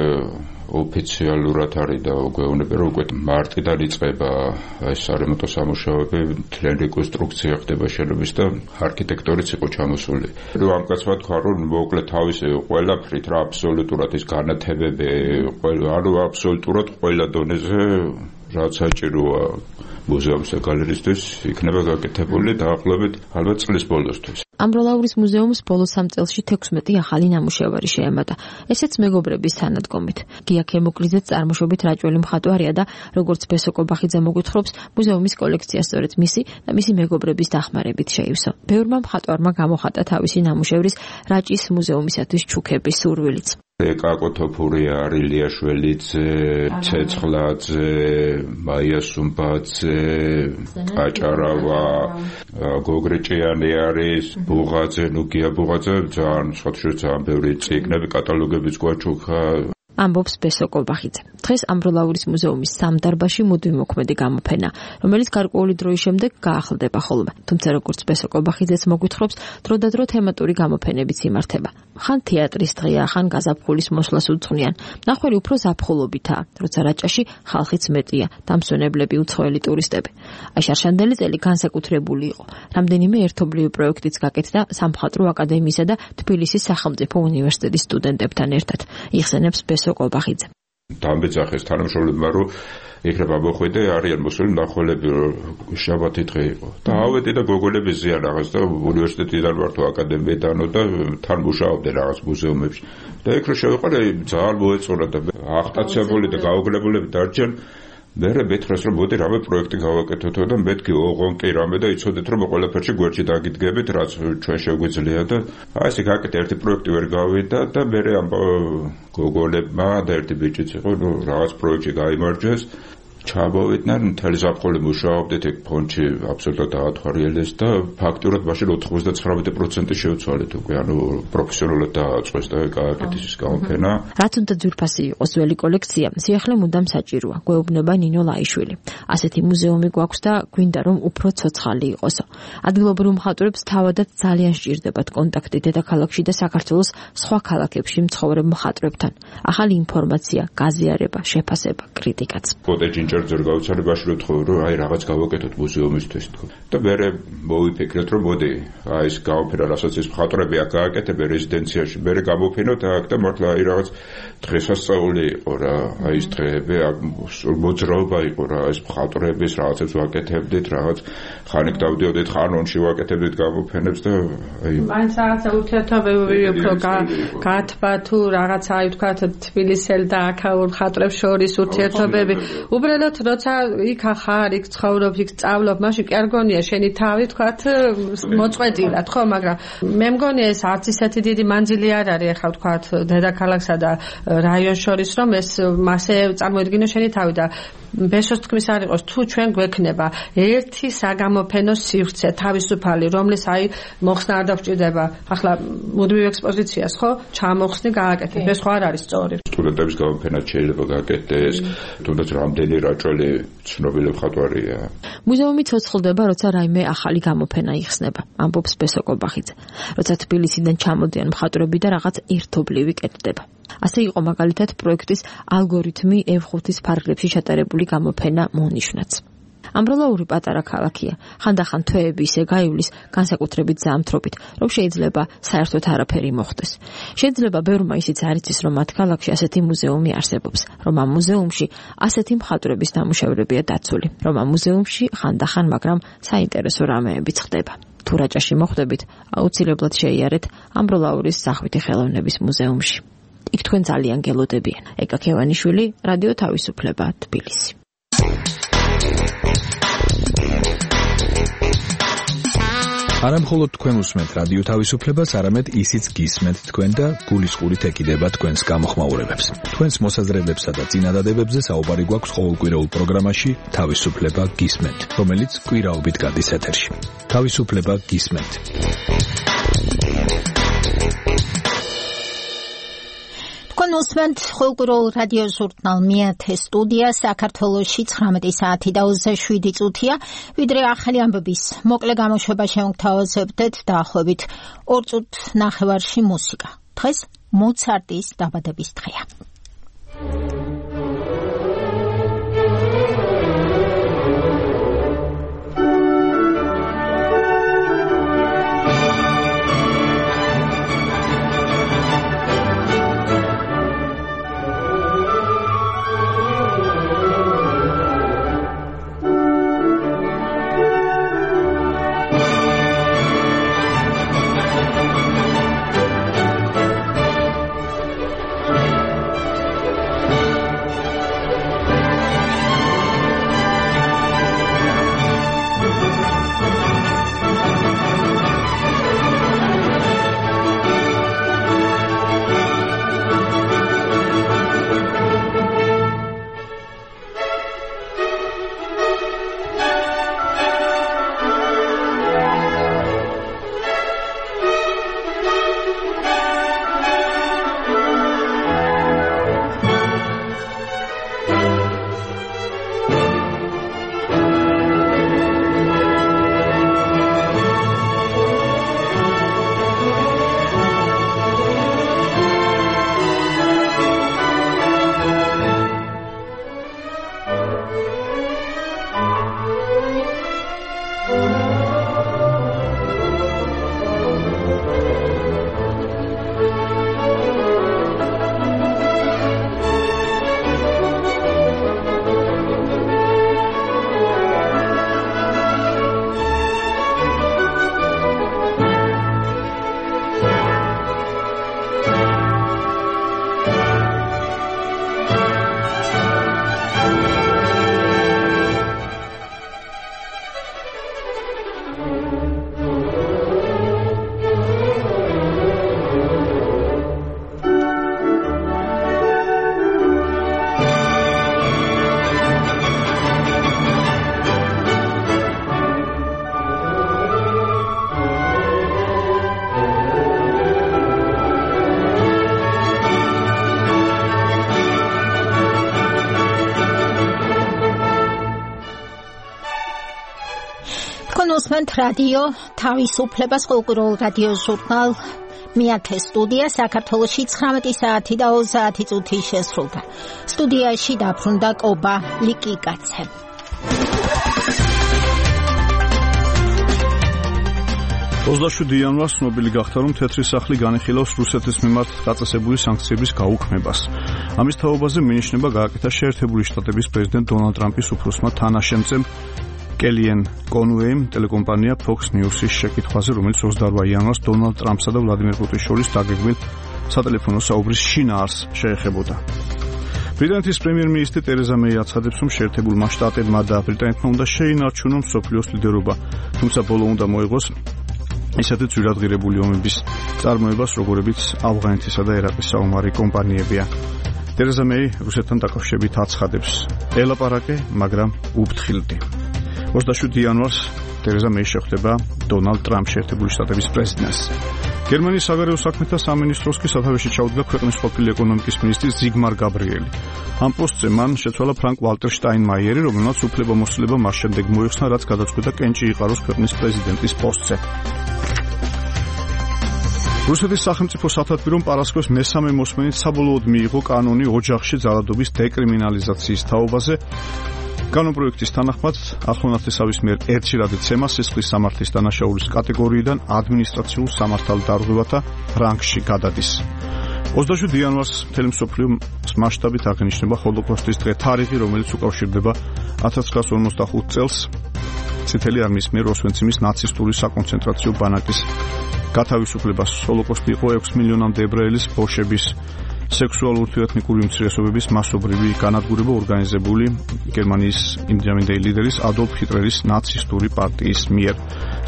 ოფიციალურად არის და გვეუბნება, რომ უკვე მარტიდან იწყება ეს სარემონტო სამუშაოები, მთლიანი რეკონსტრუქცია ხდება შენობის და არქიტექტორიც იყო ჩამოსული. ამ კაცმა თქვა, რომ მოკლედ თავისი ყველაფრით რა აბსოლუტურად ის განათებები, ანუ აბსოლუტურად ყველა დონეზე რაც საჭიროა მუზეუმს და გალერეისთვის იქნება გაკეთებული დაახლოებით ალბათ წლის ბოლოსთვის. ამბროლაურის მუზეუმს ბოლო 3 წელში 16 ახალი ნამუშევარი შეემატა. ესეც მეგობრების თანადგომით. გია ქემოკლიძეც წარმოშობით რაჭველი მხატვარია და როგორც ბესო კობახიძე მოგვითხრობს, მუზეუმის კოლექცია სწორედ მისი და მისი მეგობრების დახმარებით შეივსო. ბევრმა მხატვარმა გამოხატა თავისი ნამუშევრის რაჭის მუზეუმისათვის ჩუქების სურვილიც. ეკაკო თოფურია, ლილიაშველიძე, ცეცხლაძე, მაია სუმბაძე, აჭარავა, გოგრეჭიანი არის, ბუღაძე, ნუგია ბუღაძე, ძალიან ძალიან ბევრი წიგნები, კატალოგებიც გვაჩუქა. ამბობს ბესო კობახიძე. დღეს ამბროლაურის მუზეუმის სამდარბაზში მუდმივ მოქმედი გამოფენა, რომელიც გარკვეული დროის შემდეგ გაახლდება ხოლმე. თუმცა როგორც ბესო კობახიძეც მოგვითხრობს, დროდადრო თემატური გამოფენებიც იმართება. ხან თეატრის დღეა, ხან გაზაფხულის მოსვლას უძღვნიან. ნახველი უფრო ზაფხულობითაა, როცა რაჭაში ხალხიც მეტია, დამსვენებლები, უცხოელი ტურისტები. აი შარშანდელი წელი განსაკუთრებული იყო. რამდენიმე ერთობლივი პროექტიც გაკეთდა სამხატვრო აკადემიისა და თბილისის სახელმწიფო უნივერსიტეტის სტუდენტებთან ერთად. იხსენებს ბესო კობახიძე. დამბეძახეს თანამშრომლებმა, რომ იქნება მოხვედე, არიან მოსული მნახველები, შაბათი დღე იყო. და ავედი და გოგონების ზიან რაღაც და უნივერსიტეტიდან ვარ თუ აკადემიიდანო და თან მუშაობდი რაღაც მუზეუმებში. და იქ რო შევიყარე, ძალიან მოეწონა და აღტაცებული და გაუგლებულები დარჩენ. მერე მეთხრეს, რომ მოდი რამე პროექტი გავაკეთოთ და მეთქი ოღონ კი რამე და იცოდეთ, რომ ყველაფერში გვერდში დაგიდგებით, რაც ჩვენ შეგვიძლია და აი ესე გაკეთე ერთი პროექტი ვერ გავიდა და მერე ამ გოგონებმა და ერთი ბიჭიც იყო, რაღაც პროექტი გაიმარჯვეს ჩამოვიდნენ, მთელი ზაფხული მუშაობდით ეგ ფონდში აბსოლუტურად დაათვალიერეს და ფაქტურად მაშინ 99% შევცვალეთ უკვე, ანუ პროფესიონალურად დააწყვეს და გააკეთეს ის გამოფენა. რაც უნდა ძვირფასი იყოს ძველი კოლექცია, სიახლე მუდამ საჭიროა, გვეუბნება ნინო ლაიშვილი. ასეთი მუზეუმი გვაქვს და გვინდა რომ უფრო ცოცხალი იყოსო. ადგილობრივ მხატვრებს თავადაც ძალიან სჭირდებათ კონტაქტი დედაქალაქში და საქართველოს სხვა ქალაქებში მცხოვრებ მხატვრებთან. ახალი ინფორმაცია, გაზიარება, შეფასება, კრიტიკაც. ფოტოჯინჯერ ძერ გაუცალებაში რომ თქო რომ აი რაღაც გავაკეთოთ მუზეუმისთვის თქო. და მე მოვიფიქრეთ რომ მოდი აი ეს გამოფენა რასაც ეს მხატვრები აქ გააკეთებენ რეზიდენციაში მე გამოფენოთ აქ და მართლა აი რაღაც დღესასწაული იყო რა აი ეს დღეები აქ მოძრაობა იყო რა ეს მხატვრების რაღაცებს ვაკეთებდით რაღაც ხანიკ დავდიოდით ხანონში ვაკეთებდით გამოფენებს და აი მაინც რაღაცა ურთიერთობები უფრო გათბა თუ რაღაცა აი თქვა თბილისელ და აქაურ მხატვრებს შორის ურთიერთობები უბრალოდ როცა იქ ხარ იქ ცხოვრობ იქ სწავლობ მაშინ კი არ გონია შენი თავი თქვათ მოწყვეტილად ხო მაგრამ მე მგონია ეს არც ისეთი დიდი მანძილი არ არის ახლა თქვათ დედაქალაქსა და რაიონს შორის რომ ეს მასე წარმოედგინო შენი თავი და ბესოს თქმის არ იყოს თუ ჩვენ გვექნება ერთი საგამოფენო სივრცე თავისუფალი რომლის აი მოხსნა არ დაგვჭირდება ახლა მუდმივ ექსპოზიციას ხო ჩამოხსნი გააკეთებ ეს ხო არ არის სწორი სტუდენტების გამოფენა შეიძლება გააკეთდეს თუნდაც რამდენი რაჭველი ცნობილი მხატვარია მუზეუმი ცოცხლდება როცა რაიმე ახალი გამოფენა იხსნება ამბობს ბესო კობახიძე როცა თბილისიდან ჩამოდიან მხატვრები და რაღაც ერთობლივი კეთდება ასე იყო მაგალითად პროექტის ალგორითმი F5-ის ფარგლებში ჩატარებული გამოფენა მონიშნაც. ამბროლაური პატარა ქალაქია. ხანდახან თვეები ისე გაივლის განსაკუთრებით ზამთრობით, რომ შეიძლება საერთოდ არაფერი მოხდეს. შეიძლება ბევრმა ისიც არ იცის, რომ მათ ქალაქში ასეთი მუზეუმი არსებობს, რომ ამ მუზეუმში ასეთი მხატვრების ნამუშევრებია დაცული, რომ ამ მუზეუმში ხანდახან, მაგრამ საინტერესო რამეებიც ხდება. თუ რაჭაში მოხვდებით, აუცილებლად შეიარეთ ამბროლაურის სახვითი ხელოვნების მუზეუმში. იქ თქვენ ძალიან გელოდებიან. ეკა ქევანიშვილი, რადიო თავისუფლება, თბილისი. არა მხოლოდ თქვენ უსმენთ რადიო თავისუფლებას, არამედ ისიც გისმენთ თქვენ და გულისყურით ეკიდება თქვენს გამოხმაურებებს. თქვენს მოსაზრებებსა და წინადადებებზე საუბარი გვაქვს ყოველკვირეულ პროგრამაში თავისუფლება გისმენთ, რომელიც კვირაობით გადის ეთერში. თავისუფლება გისმენთ. თქვენ უსმენთ ყოველკვირეულ რადიო ჟურნალ მეათე სტუდია საქართველოში 19 საათი და 27 წუთია ვიდრე ახალი ამბების მოკლე გამოშვება შევთავაზებდეთ დაახლოებით 2 წუთ ნახევარში მუსიკა დღეს მოცარტის დაბადების დღეა უსმენთ რადიო თავისუფლებას ყოველკვირეულ რადიო ჟურნალ მეათე სტუდია საქართველოში 19 საათი და 30 წუთი შესრულდა. სტუდიაში დაბრუნდა კობა ლიკიკაცე. იანვარს ცნობილი გახდა, რომ თეთრი სახლი განიხილავს რუსეთის მიმართ დაწესებული სანქციების გაუქმებას. ამის თაობაზე მინიშნება გააკეთა შეერთებული შტატების პრეზიდენტ დონალდ ტრამპის უფროსმა თანაშემწემ კელიან კონუეიმ ტელეკომპანია Fox News-ის შეკითხვაზე, რომელიც 28 იანვარს დონალდ ტრამპსა და ვლადიმერ პუტინის შორის დაგეგმილ სატელეფონო საუბრის შინაარსს შეეხებოდა. ბრიტანეთის პრემიერ-მინისტრი ტერეზა მეი აცხადებს, რომ შეერთებულმა შტატებმა და ბრიტანეთმა უნდა შეინარჩუნონ მსოფლიოს ლიდერობა, თუმცა ბოლო უნდა მოიღოს ისეთი ძვირადღირებული ომების წარმოებას, როგორებიც ავღანეთისა და ერაყის საომარი კომპანიებია. ტერეზა მეი რუსეთთან დაკავშირებით აცხადებს: ელაპარაკე, მაგრამ უფრთხილდი. 27 იანვარს ტერეზა მეი შეხვდება დონალდ ტრამპს, შეერთებული შტატების პრეზიდენტს. გერმანიის საგარეო საქმეთა სამინისტროს კი სათავეში ჩაუდგა ქვეყნის ყოფილი ეკონომიკის მინისტრი ზიგმარ გაბრიელი. ამ პოსტზე მან შეცვალა ფრანკ ვალტერ შტაინმაიერი, რომელმაც უფლებამოსილება მას შემდეგ მოიხსნა, რაც გადაწყვიტა კენჭი იყაროს ქვეყნის პრეზიდენტის პოსტზე. რუსეთის სახელმწიფო სათათბირომ პარასკევს მესამე მოსმენით საბოლოოდ მიიღო კანონი ოჯახში ძალადობის დეკრიმინალიზაციის თაობაზე. კანონპროექტის თანახმად ახლონათესავის მიერ ერთშერადი ცემა სისხლის სამართლის დანაშაულის კატეგორიიდან ადმინისტრაციულ სამართალ დარღვევათა რანგში გადადის. 27 იანვარს მთელი მსოფლიოს მასშტაბით აღინიშნება ჰოლოკოსტის დღე, თარიღი, რომელიც უკავშირდება 1945 წელს წითელი არმიის მიერ ოსვენციმის ნაცისტური საკონცენტრაციო ბანაკის გათავისუფლებას. ჰოლოკოსტი იყო 6 მილიონამდე ებრაელის, ბოშების, სექსუალურ თუ ეთნიკური უმცირესობების მასობრივი განადგურება ორგანიზებული გერმანიის იმდროინდელი ლიდერის ადოლფ ჰიტლერის ნაცისტური პარტიის მიერ.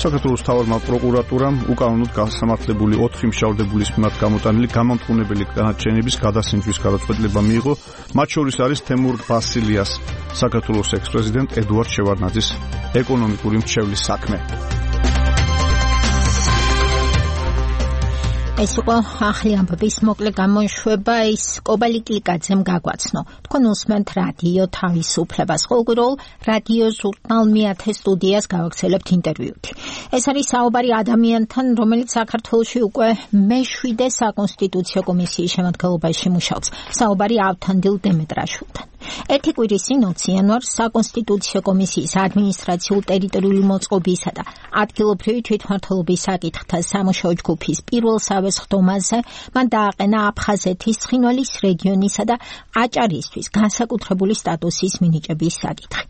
საქართველოს მთავარმა პროკურატურამ უკანონოდ გასამართლებული 4 მშავდებულის მიმართ გამოტანილი გამამტყუნებელი განაჩენების გადასინჯვის გადაწყვეტილება მიიღო. მათ შორის არის თემურ ბასილიას, საქართველოს ექს-პრეზიდენტ ედუარდ შევარდნაძის ეკონომიკური მრჩევლის საქმე. ეს იყო ახალი ამბების მოკლე გამოშვება, ის კობა ლიკიკაძემ გაგვაცნო. თქვენ უსმენთ რადიო თავისუფლებას, ყოველკვირეულ რადიო ჟურნალ მეათე სტუდიას გავაგრძელებთ ინტერვიუთი. ეს არის საუბარი ადამიანთან, რომელიც საქართველოში უკვე მე-7 საკონსტიტუციო კომისიის შემადგენლობაში მუშაობს. საუბარი ავთანდილ დემეტრაშვილთან. ერთი კვირის წინ 20 იანვარს საკონსტიტუციო კომისიის ადმინისტრაციულ-ტერიტორიული მოწყობისა და ადგილობრივი თვითმმართველობის საკითხთა სამუშაო ჯგუფის პირველ სხდომაზე მან დააყენა აფხაზეთის ცხინვალის რეგიონისა და აჭარისთვის განსაკუთრებული სტატუსის მინიჭების საკითხი.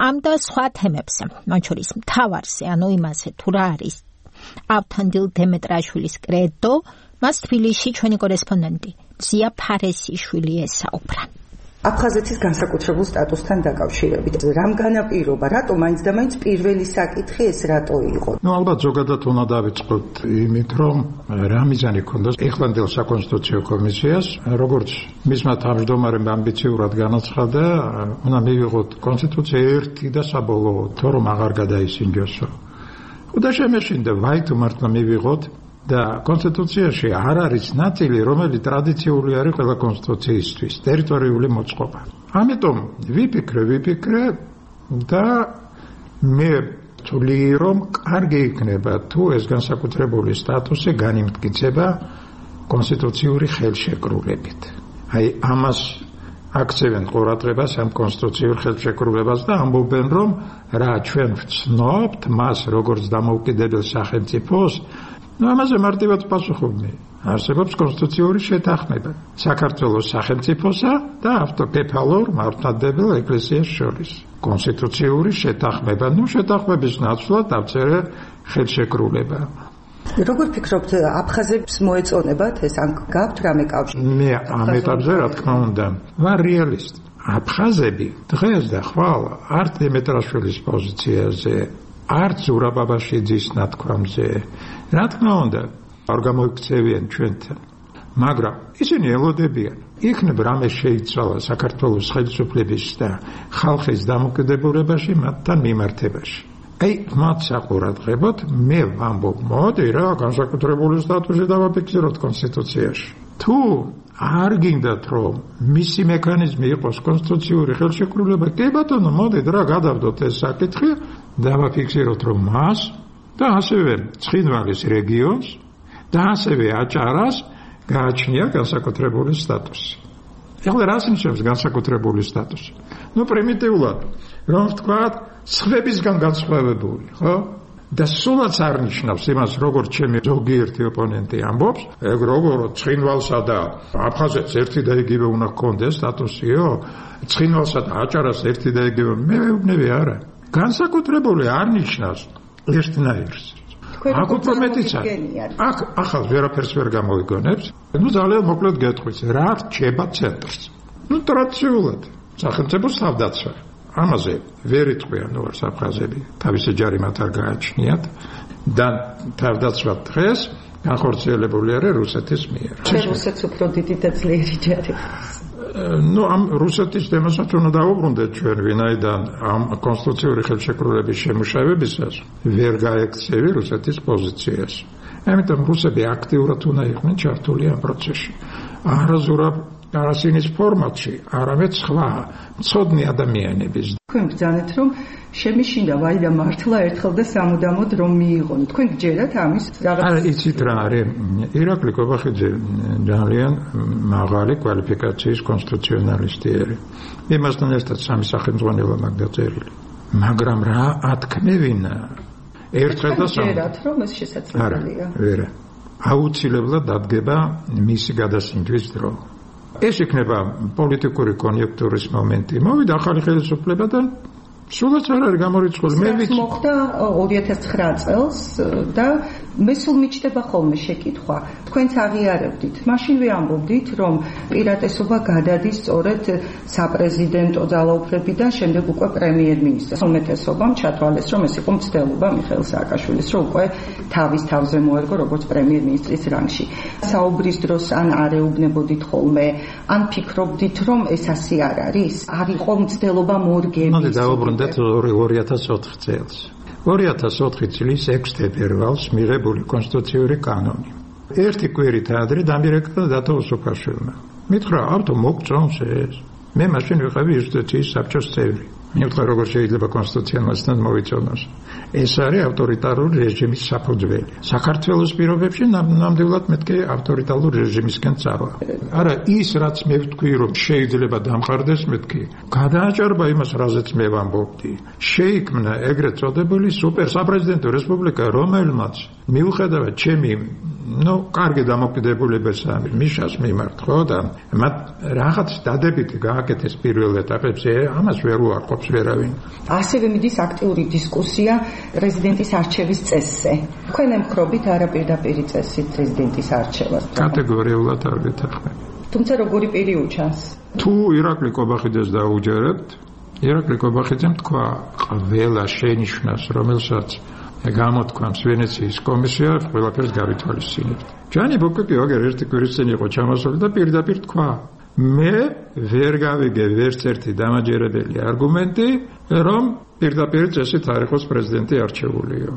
ამ და სხვა თემებზე, მათ შორის მთავარზე, ანუ იმაზე, თუ რა არის ავთანდილ დემეტრაშვილის კრედო, მას თბილისში ჩვენი კორესპონდენტი ზია ფარესიშვილი ესაუბრა. აფხაზეთის განსაკუთრებულ სტატუსთან დაკავშირებით რამ განაპირობა, რატომ მაინც და მაინც პირველი საკითხი ეს რატო იყო? ალბათ ზოგადად უნდა დავიწყოთ იმით, რომ რა მიზანი ჰქონდას ეხლანდელ საკონსტიტუციო კომისიას, როგორც მისმა თავმჯდომარემ ამბიციურად განაცხადა, უნდა მივიღოთ კონსტიტუცია ერთი და საბოლოო, თუ რომ აღარ გადაისინჯოსო. და შემეშინდა ვაი თუ მართლა მივიღოთ და კონსტიტუციაში არ არის ნაწილი, რომელიც ტრადიციული არის ყველა კონსტიტუციისთვის, ტერიტორიული მოწყობა. ამიტომ ვიფიქრე და მე ვთვლი, რომ კარგი იქნება თუ ეს განსაკუთრებული სტატუსი განიმტკიცება კონსტიტუციური ხელშეკრულებით. აი ამას აქცევენ ყურადღებას ამ კონსტიტუციურ ხელშეკრულებას და ამბობენ, რომ რა ჩვენ ვცნობთ მას როგორც დამოუკიდებელ სახელმწიფოს. ამაზე მარტივად პასუხობდი. არსებობს კონსტიტუციური შეთანხმება საქართველოს სახელმწიფოსა და ავტოკეფალურ მართლმადიდებელ ეკლესიას შორის. კონსტიტუციური შეთანხმება, შეთანხმების ნაცვლად დავწერე ხელშეკრულება. როგორ ფიქრობთ, აფხაზებს მოეწონებათ ეს ან გაქვთ რამე კავშირი? მე ამ ეტაპზე რა თქმა უნდა, ვარ რეალისტი. აფხაზები დღეს და ხვალ არც დემეტრაშვილის პოზიციაზე, არც ზურაბაბაშიძის ნათქვამზე, რა თქმა უნდა, არ გამოიქცევიან ჩვენთან. მაგრამ ისინი ელოდებიან, იქნებ რამე შეიცვალა საქართველოს ხელისუფლების და ხალხის დამოკიდებულებაში მათთან მიმართებაში. აი, მათ საყურადღებოდ მე ვამბობ, მოდი რა, განსაკუთრებული სტატუსი დავაფიქსიროთ კონსტიტუციაში. თუ არ გინდათ, რომ მისი მექანიზმი იყოს კონსტიტუციური ხელშეკრულება, კი ბატონო, მოდით რა გადავდოთ ეს საკითხი დავაფიქსიროთ რომ მას და ასევე ცხინვალის რეგიონს და ასევე აჭარას გააჩნია განსაკუთრებული სტატუსი. ეხლა რას ნიშნავს განსაკუთრებული სტატუსი? პრიმიტიულად რომ ვთქვათ, სხვებისგან განსხვავებული, ხო? და სულაც არ ნიშნავს იმას, როგორც ჩემი ზოგიერთი ოპონენტი ამბობს, ეგ როგორ ცხინვალსა და აფხაზეთს ერთი და იგივე უნდა ჰქონდეს სტატუსიო, ცხინვალსა და აჭარას ერთი და იგივე, მე ვეუბნები არა. განსაკუთრებული არ ნიშნავს ერთნაირს. აქ უფრო მეტიც არის. აქ ახალ ვერაფერს ვერ გამოიგონებს. ძალიან მოკლედ გეტყვის, რა რჩება ცენტრს. ტრადიციულად სახელმწიფოს თავდაცვა. ამაზე ვერ იტყვიან ნუარს აფხაზები, თავისი ჯარი მათ არ გააჩნიათ და თავდაცვა დღეს განხორციელებული არის რუსეთის მიერ. რუსეთს უფრო დიდი და ძლიერი ჯარი. ამ რუსეთის თემასაც უნდა დავუბრუნდეთ ჩვენ, ვინაიდან ამ კონსტიტუციური ხელშეკრულების შემუშავებისას ვერ გაექცევი რუსეთის პოზიციას. ამიტომ რუსები აქტიურად უნდა იყვნენ ჩართული ამ პროცესში. არაზურაბ არასინის ფორმატში, არამედ სხვა მცოდნი ადამიანების. თქვენ ბრძანეთ, რომ შემიშინდა ვაიდა მართლა ერთხელ და სამუდამოდ რომ მიიღონ. თქვენ გჯერათ ამის რაღაც? არა, იცით რა არის? ირაკლი კობახიძე ძალიან მაღალი კვალიფიკაციის კონსტიტუციონალისტი არის. იმასთან ერთად სამი სახელმძღვანელო მაგ დაწერილი. მაგრამ რა ათქმევინა ერთხელ და სამუდამოდ. გჯერათ, რომ ეს შესაძლებელია? არა. აუცილებლად დადგება მისი გადასინჯვის დრო. ეს იქნება პოლიტიკური კონიუნქტურის მომენტი. მოვიდა ახალი ხელისუფლება და სულაც არ არის გამორიცხული. მე ვიცი მოხდა 2009 წელს და მე სულ მიჩნდება ხოლმე შეკითხვა. თქვენც აღიარებდით. მაშინვე ამბობდით, რომ პირატესობა გადადის სწორედ საპრეზიდენტო ძალაუფლებიდან შემდეგ უკვე პრემიერ-მინისტრს. უმეტესობამ ჩათვალეს, რომ ეს იყო მცდელობა მიხეილ სააკაშვილის, რომ უკვე თავის თავზე მოერგო როგორც პრემიერ-მინისტრის რანგში. საუბრის დროს ან არეუბნებოდით ხოლმე, ან ფიქრობდით, რომ ეს ასე არ არის? არ იყო მცდელობა მორგების. 2004 წელს. 2004 წლის 6 თებერვალს მიღებული კონსტიტუციური კანონი. ერთი კვირით ადრე დამირეკდა დათო უსუფაშვილმა. მითხრა, ავთო მოგწონს ეს. მე მაშინ ვიყავი იუსტიციის საბჭოს წევრი. მითხრა, როგორ შეიძლება კონსტიტუციასთან მოვიწონოს. ეს არის ავტორიტარული რეჟიმის საფუძველი. საქართველოს პირობებში ნამდვილად მეთქე ავტორიტარული რეჟიმისკენ წავა. არა, ის რაც მე ვთქვი, რომ შეიძლება დამყარდეს მეთქი. გადააჭარბა იმას, რაზეც მე ვამბობდი. შეიქმნა ეგრეთ წოდებული სუპერ საპრეზიდენტო რესპუბლიკა, რომელმაც მიუხედავად ჩემი კარგი დამოკიდებულებას მიშას მიმართ, ხო და მათ რაღაც დადებითი გააკეთეს პირველ ეტაპებში, ამას ვერ უარყოფს ვერავინ. ასევე მიდის აქტიური დისკუსია პრეზიდენტის არჩევის წესზე. თქვენ ემხრობით არაპირდაპირი წესით პრეზიდენტის არჩევას? კატეგორიულად არ გეთანხმები. თუმცა როგორი პირი უჩანს? თუ ირაკლი კობახიძეს დაუჯერებთ, ირაკლი კობახიძემ თქვა, ყველა შენიშვნას, რომელსაც გამოთქვამს ვენეციის კომისია, ყველაფერს გავითვალისწინებთ. ჯანი ბოკოკი აგერ ერთი კვირის წინ იყო ჩამოსული და პირდაპირ თქვა, მე ვერ გავიგე ვერც ერთი დამაჯერებელი არგუმენტი, რომ პირდაპირ წესით არ იყოს პრეზიდენტი არჩეულიო.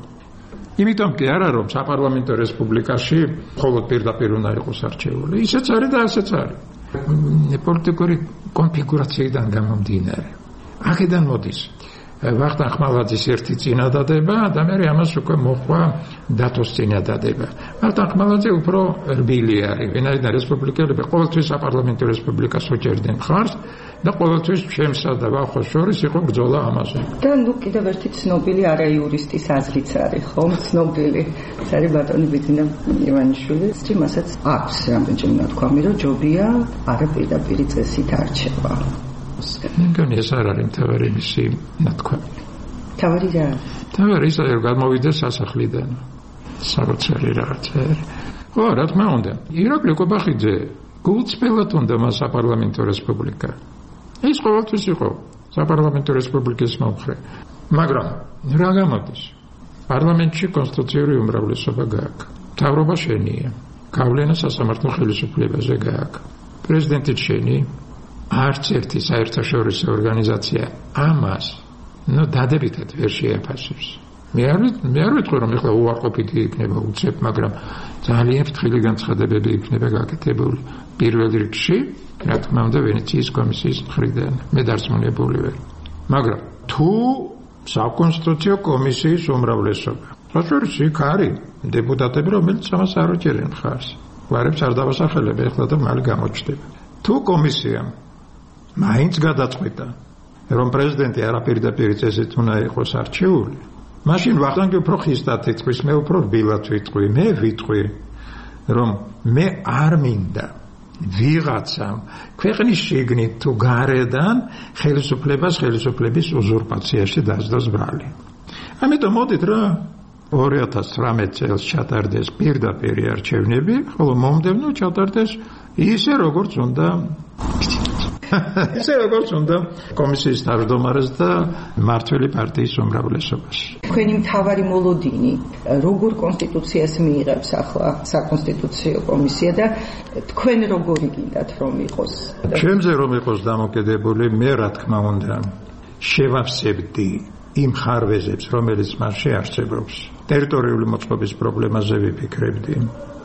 იმიტომ კი არა, რომ საპარლამენტო რესპუბლიკაში მხოლოდ პირდაპირ უნდა იყოს არჩეული. ისეც არის და ასეც არის. პოლიტიკური კონფიგურაციიდან გამომდინარე. აქედან მოდის ვახტანგ ხმალაძის ერთი წინადადება და მე ამას უკვე მოხვა დათოს წინადადება. ვახტანგ ხმალაძე უფრო რბილი არის, ვინაიდან რესპუბლიკელები ყოველთვის საპარლამენტო რესპუბლიკას უჭერდნენ ხარს და ყოველთვის ჩემსა და ვახოს შორის იყო ბრძოლა ამაზე. და კიდევ ერთი ცნობილი არაიურისტის აზრიც არის, ხო? ცნობილი. ეს არის ბატონი ბიძინა ივანიშვილი. იმასაც აქვს რამდენჯერ ნათქვამი, რომ ჯობია არაპირდაპირი წესით არჩევა. მგონი ეს არ არის მთავარი მისი ნათქვამი. მთავარი რა? მთავარი ის არის, რომ გამოვიდეს სასახლიდან. საკუთარი რაღაცა. ხო, რა თქმა უნდა. ირაკლი კობახიძე გულწრფელად უნდა მას საპარლამენტო რესპუბლიკა. ის ყოველთვის იყო საპარლამენტო რესპუბლიკის მომხრე. მაგრამ რა გამოდის? პარლამენტში კონსტიტუციური უმრავლესობა გააქვს. მთავრობა შენია. გავლენა სასამართლო ხელისუფლებაზე გააქვს. პრეზიდენტი შენი. არც ერთი საერთაშორისო ორგანიზაცია ამას დადებითად ვერ შეაფასებს. მე არ ვიტყვი, რომ ეხლა უარყოფითი იქნება უცებ, მაგრამ ძალიან ფრთხილი განცხადებები იქნება გაკეთებული პირველ რიგში, რა თქმა უნდა, ვენეციის კომისიის მხრიდან. მე დარწმუნებული ვარ. მაგრამ თუ საკონსტიტუციო კომისიის უმრავლესობა. რაშორის იქ არის დეპუტატები, რომელიც ამას არ უჭერენ ხარს. გვარებს არ დავასახელებ ეხლა და მალე გამოჩნდება. თუ კომისია მაინც გადაწყვიტა, რომ პრეზიდენტი არაპირდაპირ წესით უნდა იყოს არჩეული, მაშინ ვახტანგი უფრო ხისტად იტყვის, მე უფრო რბილად ვიტყვი, მე ვიტყვი, რომ მე არ მინდა ვიღაცამ ქვეყნის შიგნით თუ გარედან ხელისუფლების უზურპაციაში დასდოს ბრალი. ამიტომ მოდით რა 2019 წელს ჩატარდეს პირდაპირი არჩევნები, ხოლო მომდევნო ჩატარდეს ისე როგორც უნდა კომისიის თავმჯდომარეს და მმართველი პარტიის უმრავლესობას. თქვენი მთავარი მოლოდინი როგორ კონსტიტუციას მიიღებს ახლა საკონსტიტუციო კომისია და თქვენ როგორი გინდათ რომ იყოს? ჩვენზე რომ იყოს დამოკიდებული, მე რა თქმა უნდა შევავსებდი იმ ხარვეზებს, რომელიც მას შეარჩევს. ტერიტორიული მოწყობის პრობლემაზე ვიფიქრებდი.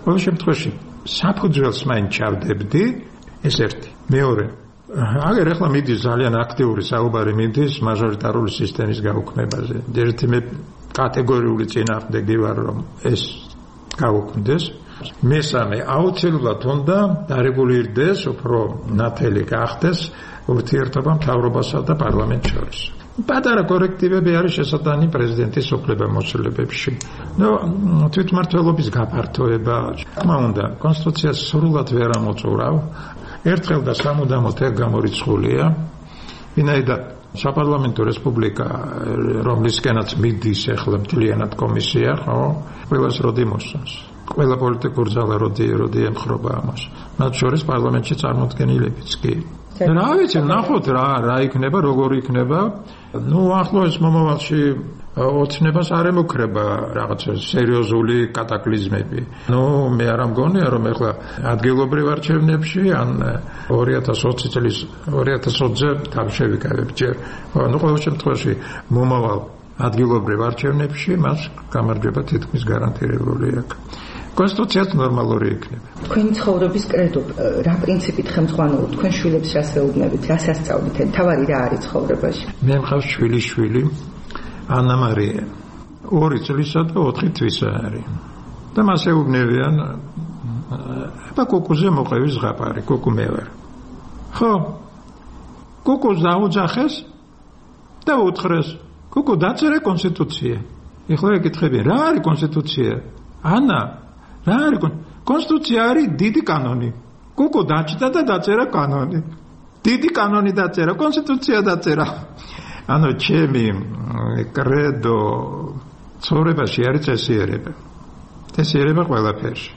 ყოველ შემთხვევაში საფუძველს მაინც ჩავდებდი, ეს ერთი. მეორე, აგერ ახლა მიდის ძალიან აქტიური საუბარი მიდის მაჟორიტარული სისტემის გაუქმებაზე. ერთი მე კატეგორიული წინააღმდეგი ვარ, რომ ეს გაუქმდეს. მესამე, აუცილებლად უნდა დარეგულირდეს, უფრო ნათელი გახდეს ურთიერთობა მთავრობასა და პარლამენტს შორის. პატარა კორექტივები არის შესაძლებელი პრეზიდენტის უფლებამოსილებებში. თვითმმართველობის გაფართოება, თქმა უნდა, კონსტიტუციას სრულად ვერ ამოწურავ. ერთხელ და სამუდამოდ ეგ გამორიცხულია, ვინაიდან საპარლამენტო რესპუბლიკა, რომლისკენაც მიდის ახლა მთლიანად კომისია, ხო? ყველას როდი მოსწონს. ყველა პოლიტიკურ ძალა როდი ემხრობა ამას. მათ შორის პარლამენტში წარმოდგენილებიც კი. რა ვიცი, ნახოთ რა იქნება, როგორ იქნება. ახლოს მომავალში ოცნებას არ ემუქრება რაღაცა სერიოზული კატაკლიზმები. მე არ მგონია, რომ ეხლა ადგილობრივ არჩევნებში ან 2020-ზე თავი შევიკავებ ჯერ. ყოველ შემთხვევაში მომავალ ადგილობრივ არჩევნებში მას გამარჯვება თითქმის გარანტირებული აქვს. კონსტიტუციაც ნორმალური იქნება. თქვენი ცხოვრების კრედო რა პრინციპით ხელმძღვანელობთ? თქვენ შვილებს რას ეუბნებით, რას ასწავლით? თავარი რა არის ცხოვრებაში? მე მყავს შვილი ანა მარია 2 წლისა და 4 თვისა არის. და მას ეუბნებიან კუკუზე მოყევის ზღაპარი, კუკუ მე ვარ. ხო, კუკუს დაუძახეს და უთხრეს, კუკუ დაწერე კონსტიტუცია. ეხლა ეკითხები, რა არის კონსტიტუცია? ანა, რა არის კონსტიტუცია? არის დიდი კანონი. კუკუ დაჭდა და დაწერა კანონი. დიდი კანონი დაწერა, კონსტიტუცია დაწერა. ანუ ჩემი კრედო ცხოვრებაში არის წესიერება ყველაფერში.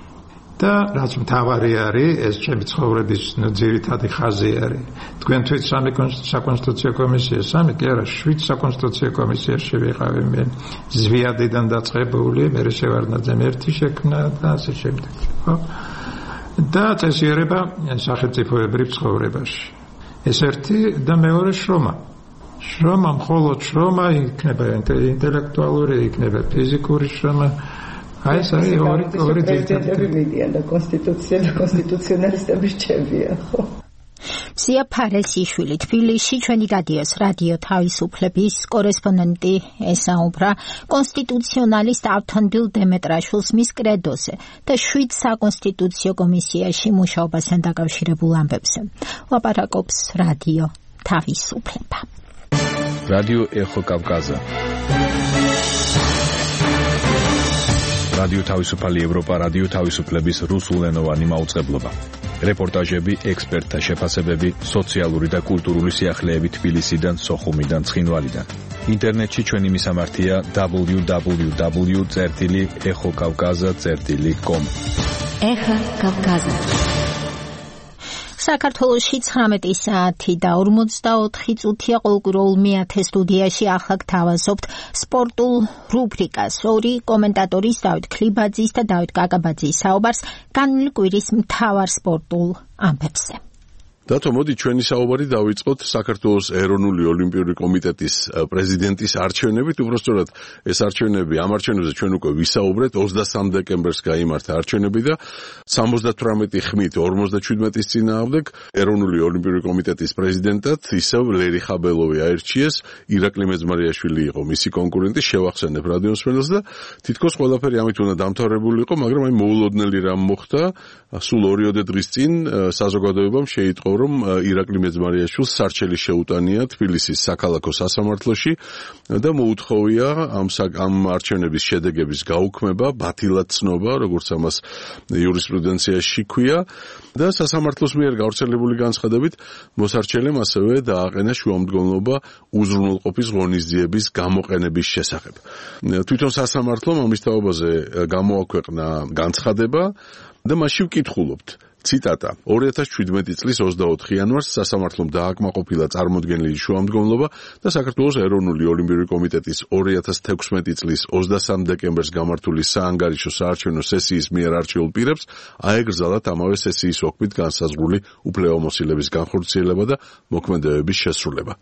და რაც მთავარი არის, ეს ჩემი ცხოვრების ძირითადი ხაზი არის. თქვენ თვით 3 საკონსტიტუციო კომისია, 3 კი არა, 7 საკონსტიტუციო კომისიაში ვიყავი მე. ზვიადიდან დაწყებული, მე შევარდნაძემ ერთი შექმნა და ასე შემდეგ. ხო? და წესიერება სახელმწიფოებრივ ცხოვრებაში. ეს ერთი და მეორე შრომა. შრომა, მხოლოდ შრომა იქნება ინტელექტუალური, იქნება ფიზიკური შრომა. აი ეს არის ორი ძირითადი მიდიან და კონსტიტუცია და კონსტიტუციონალისტები რჩებიან, ხო? სია ფარესიშვილი თბილისში ჩვენი რადიო თავისუფლების კორესპონდენტი ესაუბრა კონსტიტუციონალისტ ავთანდილ დემეტრაშვილს მის კრედოზე და 7 საკონსტიტუციო კომისიაში მუშაობასთან დაკავშირებულ ამბებზე. ლაპარაკობს რადიო თავისუფლება. რადიო ეხო კავკაზა. რადიო თავისუფალი ევროპა, რადიო თავისუფლების რუსულენოვანი მაუწყებლობა. რეპორტაჟები, ექსპერტთა შეფასებები, სოციალური და კულტურული სიახლეები თბილისიდან, სოხუმიდან, ცხინვალიდან. ინტერნეტში ჩვენი მისამართია www.ეხოკავკაზა.com. ეხა კავკაზა. საქართველოში 19 საათი და 44 წუთია ყოველკვირეულ მე-10 სტუდიაში ახლა გთავაზობთ სპორტულ რუბრიკას. 2 კომენტატორის დავით ქლიბაძის და დავით კაკაბაძის საუბარს განვლილი კვირის მთავარ სპორტულ ამბებზე. დათო, მოდი ჩვენი საუბარი დავიწყოთ საქართველოს ეროვნული ოლიმპიური კომიტეტის პრეზიდენტის არჩევნებით. უბრალოდ ეს არჩევნები, ამ არჩევნებზე ჩვენ უკვე ვისაუბრეთ. 23 დეკემბერს გაიმართა არჩევნები და 78 ხმით 57-ის წინააღმდეგ ეროვნული ოლიმპიური კომიტეტის პრეზიდენტად ისევ ლერი ხაბელოვი აირჩიეს. ირაკლი მეძმარიაშვილი იყო მისი კონკურენტი, შევახსენებ რადიოსმენელს და თითქოს ყველაფერი ამით უნდა დამთავრებული იყო, მაგრამ აი მოულოდნელი რამ მოხდა. სულ 2 დღის წინ საზოგადოებამ შეიტყო, რომ ირაკლი მეძმარიაშვილს სარჩელი შეუტანია თბილისის საქალაქო სასამართლოში და მოუთხოვია ამ არჩევნების შედეგების გაუქმება, ბათილად ცნობა, როგორც ამას იურისპრუდენციაში ქვია და სასამართლოს მიერ გავრცელებული განცხადებით მოსარჩელემ ასევე დააყენა შუამდგომლობა უზრუნველყოფის ღონისძიების გამოყენების შესახებ. თვითონ სასამართლომ ამის თაობაზე გამოაქვეყნა განცხადება და მასში ვკითხულობთ. ციტატა: 2017 წლის 24 იანვარს სასამართლომ დააკმაყოფილა წარმოდგენილი შუამდგომლობა და საქართველოს ეროვნული ოლიმპიური კომიტეტის 2016 წლის 23 დეკემბერს გამართული საანგარიშო საარჩევნო სესიის მიერ არჩეულ პირებს აეგრძალათ ამავე სესიის ოქმით განსაზღვრული უფლებამოსილების განხორციელება და მოქმედებების შესრულება.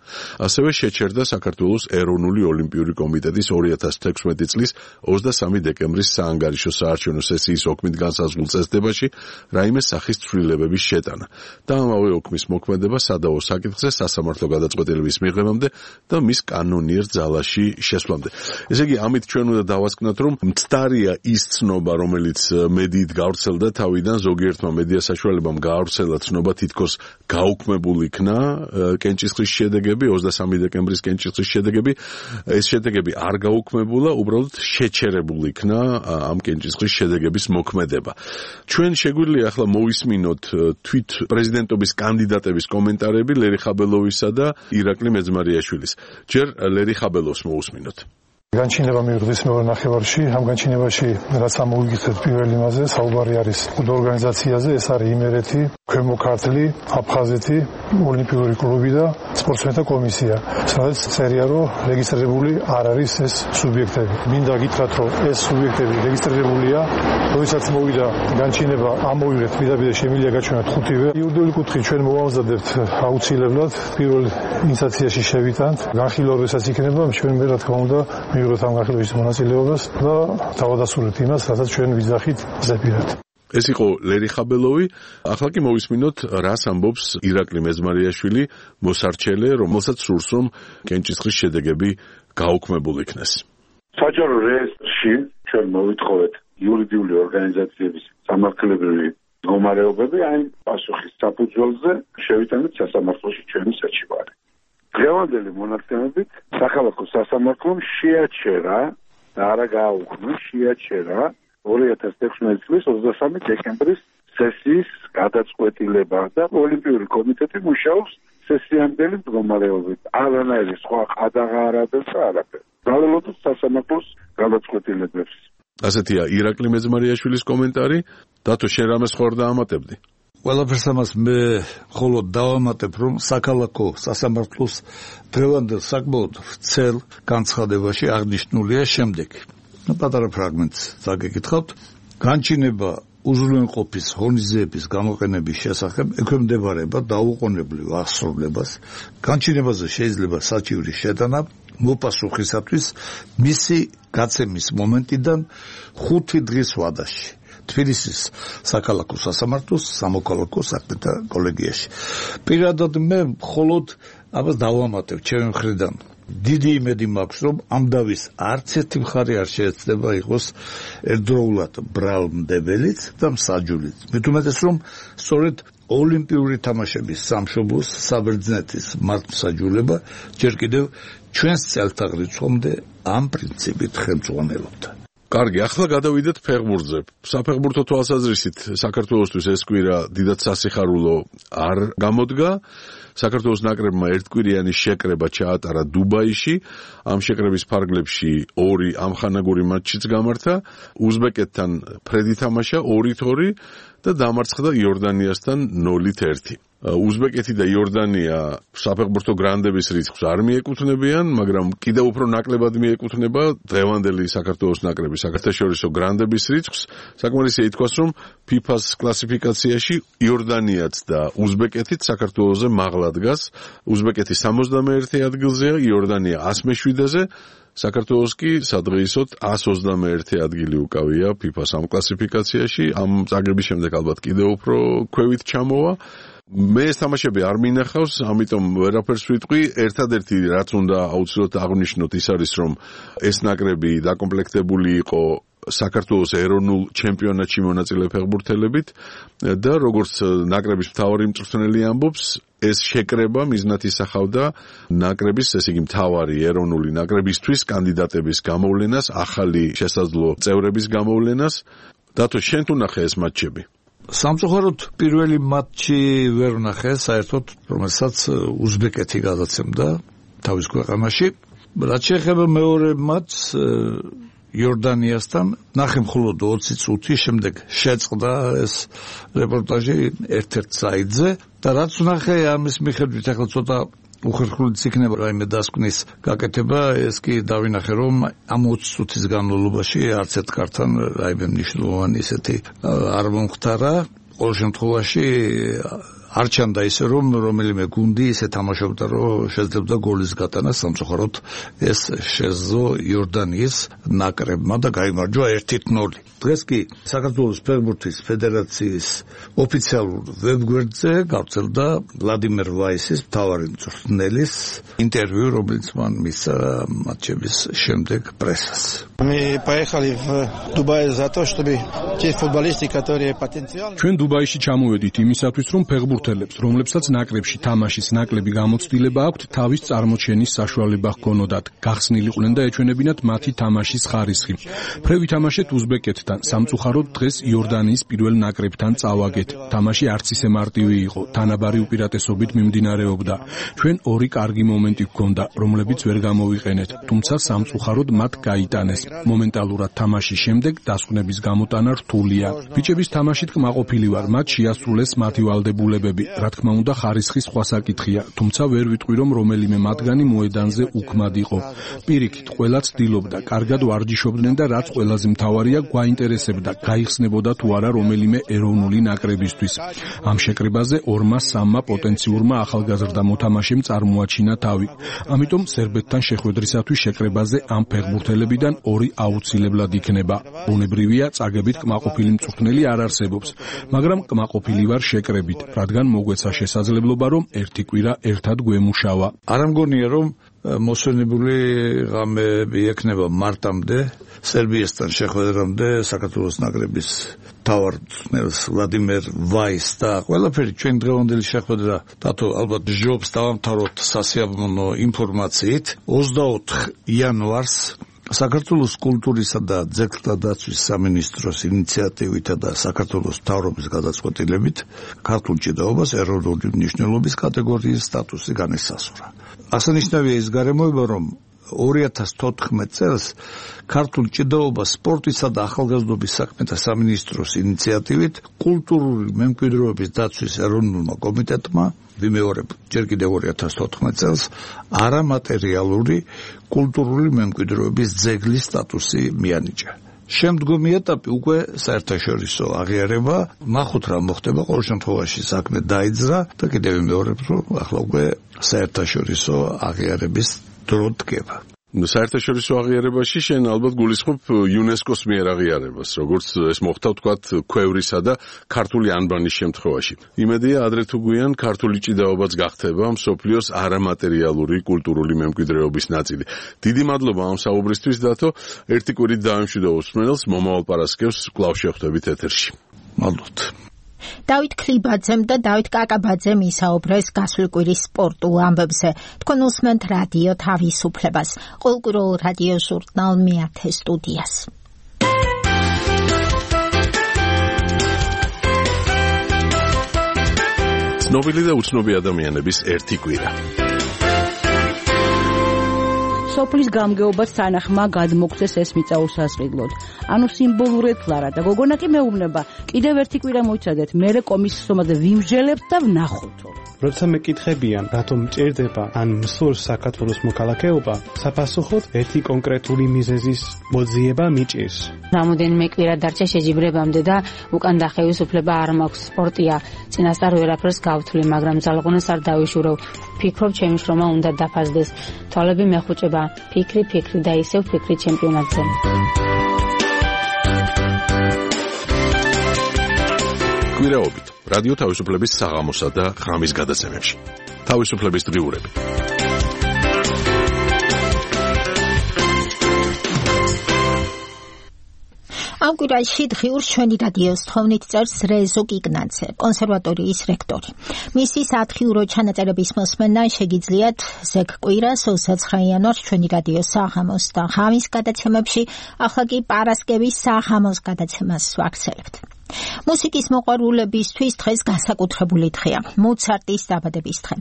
ასევე შეჩერდა საქართველოს ეროვნული ოლიმპიური კომიტეტის 2016 წლის 23 დეკემბრის საანგარიშო საარჩევნო სესიის ოქმით განსაზღვრულ წესდებაში რაიმე სახის ცვლილებების შეტანა და ამავე ოქმის მოქმედება სადავო საკითხზე სასამართლო გადაწყვეტილების მიღებამდე და მის კანონიერ ძალაში შესვლამდე. ესე იგი, ამით ჩვენ უნდა დავასკვნათ, რომ მცდარია ის ცნობა, რომელიც მედიით გავრცელდა თავიდან, ზოგიერთმა მედია საშუალებამ გაავრცელა ცნობა, თითქოს გაუქმებულ იქნა კენჭისყრის შედეგები, 23 დეკემბრის კენჭისყრის შედეგები. ეს შედეგები არ გაუქმებულა, უბრალოდ შეჩერებულ იქნა ამ კენჭისყრის შედეგების მოქმედება. ჩვენ შეგვიძლია ახლა მოვისმინოთ თვით პრეზიდენტობის კანდიდატების კომენტარები ლერი ხაბელოვისა და ირაკლი მეძმარიაშვილის. ჯერ ლერი ხაბელოვს მოусმინოთ. განჩინება მიიღეს მეორე ნახევარში. ამ განჩინებაში რაც ამოვიგეთ პირველი მასზე საუბარი არის ორგანიზაციაზე, ეს არის იმერეთი, ქვემო ქართლი, აფხაზეთი, ოლიმპიური კლუბი და სპორტსმენთა კომისია. სადაც წერია, რომ რეგისტრირებული არ არის ეს სუბიექტები. მინდა გითხრათ, რომ ეს სუბიექტები რეგისტრირებულია. როდესაც მოვიდა განჩინება, ამოვიღეთ პირდაპირ შემიძლია გაჩვენოთ 5-ვე. იურიდიული კუთხით ჩვენ მოვამზადებთ აუცილებლად პირველ ინსტანციაში შევიტანთ. განხილვა როდესაც იქნება, ჩვენ მე რა თქმა უნდა მივიღეთ ამ განხილვის მონაწილეობას და დავადასტურებთ იმას, რასაც ჩვენ ვიძახით ზეპირად. ეს იყო ლერი ხაბელოვი. ახლა კი მოვისმინოთ, რას ამბობს ირაკლი მეძმარიაშვილი, მოსარჩელე, რომელსაც სურს, რომ კენჭისყრის შედეგები გაუქმებულ იქნეს. საჯარო რეესტრში ჩვენ მოვითხოვეთ იურიდიული ორგანიზაციების სამართლებრივი მდგომარეობები, აი პასუხის საფუძველზე შევიტანეთ სასამართლოში ჩვენი საჩივარი. დღევანდელი მონაცემებით საქალაქო სასამართლომ შეაჩერა და არა გააუქმა, შეაჩერა 2016 წლის 23 დეკემბრის სესიის გადაწყვეტილება და ოლიმპიური კომიტეტი მუშაობს სესიამდელი მდგომარეობით. არანაირი სხვა ყადაღა არ აძლევს და არაფერი. ვალელობთ სასამართლოს გადაწყვეტილებებს. ასეთია ირაკლი მეძმარიაშვილის კომენტარი. დათო, შენ რამეს ხარ დაამატებდი? ყველაფერს ამას მე მხოლოდ დავამატებ, რომ საქალაქო სასამართლოს დღევანდელ საკმაოდ ვრცელ განცხადებაში აღნიშნულია შემდეგი. პატარა ფრაგმენტს დაგეკითხავთ. განჩინება უზრუნველყოფის ღონისძიების გამოყენების შესახებ ექვემდებარება დაუყოვნებლივ აღსრულებას. განჩინებაზე შეიძლება საჩივრის შეტანა მოპასუხისათვის მისი გაცემის მომენტიდან 5 დღის ვადაში. თბილისის საქალაქო სასამართლოს სამოქალაქო საქმეთა კოლეგიაში. პირადად მე მხოლოდ ამას დავამატებ ჩემი მხრიდან. დიდი იმედი მაქვს, რომ ამ დავის არც ერთი მხარე არ შეეცდება იყოს ერთდროულად ბრალმდებელიც და მსაჯულიც. მით უმეტეს, რომ სწორედ ოლიმპიური თამაშების სამშობლოს საბერძნეთის მართლმსაჯულება ჯერ კიდევ ჩვენს წელთაღრიცხვამდე ამ პრინციპით ხელმძღვანელობდა. კარგი, ახლა გადავიდეთ ფეხბურთზე. საფეხბურთო თვალსაზრისით საქართველოსთვის ეს კვირა დიდად სასიხარულო არ გამოდგა. საქართველოს ნაკრებმა ერთკვირიანი შეკრება ჩაატარა დუბაიში. ამ შეკრების ფარგლებში 2 ამხანაგური მატჩიც გამართა. უზბეკეთთან ფრედი თამაშა 2-2 და დამარცხდა იორდანიასთან 0-1. უზბეკეთი და იორდანია საფეხბურთო გრანდების რიცხვს არ მიეკუთვნებიან, მაგრამ კიდევ უფრო ნაკლებად მიეკუთვნება დღევანდელი საქართველოს ნაკრების საერთაშორისო გრანდების რიცხვს. საკმარისია ითქვას, რომ FIFA-ს კლასიფიკაციაში იორდანიაც და უზბეკეთიც საქართველოზე მაღლა დგას. უზბეკეთი 71 ადგილზეა, იორდანია 107-ზე, საქართველოს კი სადღეისოდ 121 ადგილი უკავია FIFA-ს ამ კლასიფიკაციაში. ამ წაგების შემდეგ ალბათ კიდევ უფრო ქვევით ჩამოვა. მე ეს თამაშები არ მინახავს, ამიტომ ვერაფერს ვიტყვი. ერთადერთი რაც უნდა აუცილებლად აღვნიშნოთ ის არის, რომ ეს ნაკრები დაკომპლექტებული იყო საქართველოს ეროვნულ ჩემპიონატში მონაწილე ფეხბურთელებით და როგორც ნაკრების მთავარი მწვრთნელი ამბობს, ეს შეკრება მიზნად ისახავდა ნაკრების, ესე იგი მთავარი ეროვნული ნაკრებისთვის კანდიდატების გამოვლენას, ახალი შესაძლო წევრების გამოვლენას. დათო, შენ თუ ნახე ეს მატჩები? სამწუხაროდ პირველი მატჩი ვერ ვნახე, საერთოდ რომელსაც უზბეკეთი გადაცემდა თავის ქვეყანაში. რაც შეეხება მეორე მატჩს იორდანიასთან, ნახე მხოლოდ 20 წუთი, შემდეგ შეწყდა ეს რეპორტაჟი ერთ-ერთ საიტზე და რაც ვნახე ამის მიხედვით ახლა ცოტა უხერხულიც იქნება რაიმე დასკვნის გაკეთება, ეს კი დავინახე, რომ ამ 20 წუთის განმავლობაში არც ერთ კარტთან რაიმე მნიშვნელოვანი ისეთი არ მომხდარა. ყოველ შემთხვევაში არ ჩანდა ისე, რომ რომელიმე გუნდი ისე თამაშობდა, რომ შეძლებდა გოლის გატანა. სამწუხაროდ ეს შეძლო იორდანიის ნაკრებმა და გაიმარჯვა 1-0. დღეს კი საქართველოს ფეხბურთის ფედერაციის ოფიციალურ ვებგვერდზე გავრცელდა ვლადიმერ ვაისის მთავარი მწვრთნელის ინტერვიუ, რომელიც მან მისცა მატჩების შემდეგ პრესას. Мы поехали в Дубай за то, чтобы те футболисты, которые потенциально. ჩვენ დუბაიში ჩამოვედით იმისათვის, რომ ფეხბურთელებს, რომლებსაც ნაკრებში თამაშის ნაკლები გამოცდილება აქვთ, თავის წარმოჩენის საშუალება ჰქონოდათ, გახსნილიყვნენ და ეჩვენებინათ მათი თამაშის ხარისხი. ფრევი თამაშეთ უზბეკეთთან, სამწუხაროდ დღეს იორდანიის პირველ ნაკრებთან წავაგეთ. თამაში არც ისე მარტივი იყო, თანაბარი უპირატესობით მიმდინარეობდა. ჩვენ ორი კარგი მომენტი გვქონდა, რომლებიც ვერ გამოვიყენეთ, თუმცა სამწუხაროდ მათ გაიტანეს. მომენტალურად თამაშის შემდეგ დასკვნების გამოტანა რთულია. ბიჭების თამაშით კმაყოფილი ვარ, მათ შეასრულეს მათი ვალდებულებები. რა თქმა უნდა, ხარისხი სხვა საკითხია, თუმცა ვერ ვიტყვი, რომ რომელიმე მათგანი მოედანზე უქმად იყო. პირიქით, ყველა ცდილობდა, კარგად ვარჯიშობდნენ და რაც ყველაზე მთავარია, გვაინტერესებდა, გაიხსნებოდა თუ არა რომელიმე ეროვნული ნაკრებისთვის. ამ შეკრებაზე 2-3 პოტენციურმა ახალგაზრდა მოთამაშემ წარმოაჩინა თავი. ამიტომ სერბეთთან შეხვედრისათვის შეკრებაზე ამ ფეხბურთელებიდან 2 აუცილებლად იქნება. ბუნებრივია, წაგებით კმაყოფილი მწვრთნელი არ არსებობს, მაგრამ კმაყოფილი ვარ შეკრებით, რადგან მოგვეცა შესაძლებლობა, რომ ერთი კვირა ერთად გვემუშავა. არ ამგონია, რომ მოსვენებული ღამეები ექნება მარტამდე, სერბიასთან შეხვედრამდე საქართველოს ნაკრების მთავარ მწვრთნელს ვლადიმერ ვაისს და ყველაფერი ჩვენ დღევანდელი შეხვედრა დათო ალბათ ჯობს დავამთავროთ სასიამოვნო ინფორმაციით. 24 იანვარს საქართველოს კულტურისა და ძეგლთა დაცვის სამინისტროს ინიციატივითა და საქართველოს მთავრობის გადაწყვეტილებით ქართულ ჭიდაობას ეროვნული მნიშვნელობის კატეგორიის სტატუსი განისაზღვრა. აღსანიშნავია ის გარემოება, რომ 2014 წელს ქართულ ჭიდაობას სპორტისა და ახალგაზრდობის საქმეთა სამინისტროს ინიციატივით კულტურული მემკვიდრეობის დაცვის ეროვნულმა კომიტეტმა ვიმეორებ ჯერ კიდევ 2014 წელს არამატერიალური კულტურული მემკვიდრეობის ძეგლის სტატუსი მიანიჭა. შემდგომი ეტაპი უკვე საერთაშორისო აღიარება, ნახოთ რა მოხდება, ყოველ შემთხვევაში საქმე დაიძრა და კიდევ ვიმეორებ, რომ ახლა უკვე საერთაშორისო აღიარების დრო დგება. საერთაშორისო აღიარებაში შენ ალბათ გულისხმობ იუნესკოს მიერ აღიარებას, როგორც ეს მოხდა ვთქვათ ქვევრისა და ქართული ანბანის შემთხვევაში. იმედია, ადრე თუ გვიან ქართული ჭიდაობაც გახდება მსოფლიოს არამატერიალური კულტურული მემკვიდრეობის ნაწილი. დიდი მადლობა ამ საუბრისთვის, დათო. ერთი კვირით დავემშვიდობ მსმენელს, მომავალ პარასკევს კვლავ შევხვდებით ეთერში. მადლობთ. დავით ქლიბაძემ და დავით კაკაბაძემ ისაუბრეს გასული კვირის სპორტულ ამბებზე. თქვენ უსმენთ რადიო თავისუფლებას, ყოველკვირეულ რადიო ჟურნალ მეათე სტუდიას. ცნობილი და უცნობი ადამიანების ერთი კვირა. სოფლის გამგეობაც თანახმა გადმოგცეს ეს მიწა უსასყიდლოდ. ანუ სიმბოლურად ლარა და გოგონა კი მეუბნება, კიდევ ერთი კვირა მოიცადეთ, მერე კომისიის ომაზე ვიმსჯელებთ და ვნახოთ. როცა მეკითხებიან, რატომ ჭირდება ან მსურს საქართველოს მოქალაქეობა, საფასუხოდ ერთი კონკრეტული მიზეზის მოძიება მიჭირს. რამოდენიმე კვირა დარჩა შეჯიბრებამდე და უკან დახევის უფლება არ მაქვს. სპორტია, წინასწარ ვერაფერს გავთვლი, მაგრამ ძალღონას არ დავიშურავ. ფიქრობ, ჩემი შრომა უნდა დაფასდეს. თვალები მეხუჭება, ფიქრი და ისევ ფიქრი ჩემპიონატზე. კვირაობით რადიო თავისუფლების საღამოსა და ღამის გადაცემებში. თავისუფლების დღიურები. ამ კვირაში დღიურს ჩვენი რადიოს თხოვნით წერს რეზო კიგნაძე, კონსერვატორიის რექტორი. მისი სათხიურო ჩანაწერების მოსმენა შეგიძლიათ ზეგ კვირას 29 იანვარს ჩვენი რადიოს საღამოს და ღამის გადაცემებში, ახლა კი პარასკევის საღამოს გადაცემას ვაგრძელებთ. მუსიკის მოყვარულებისთვის დღეს განსაკუთრებული დღეა, მოცარტის დაბადების დღე.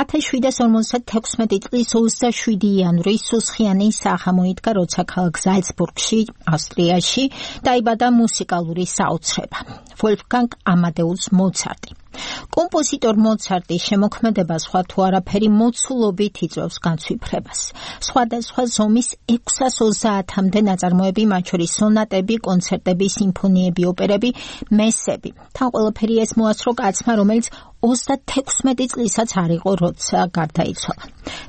1756 წლის 27 იანვრის სუსხიანი საღამო იდგა, როცა ქალაქ ზალცბურგში, ავსტრიაში დაიბადა მუსიკალური საოცრება ვოლფგანგ ამადეუს მოცარტი. კომპოზიტორ მოცარტის შემოქმედება სხვა თუ არაფერი მოცულობით იწვევს განცვიფრებას. სხვადასხვა ზომის 630-მდე ნაწარმოები, მათ შორის სონატები, კონცერტები, სიმფონიები, ოპერები, მესები. თან ყველაფერი ეს მოასწრო კაცმა, რომელიც 36 წლისაც არ იყო, როცა გარდაიცვალა.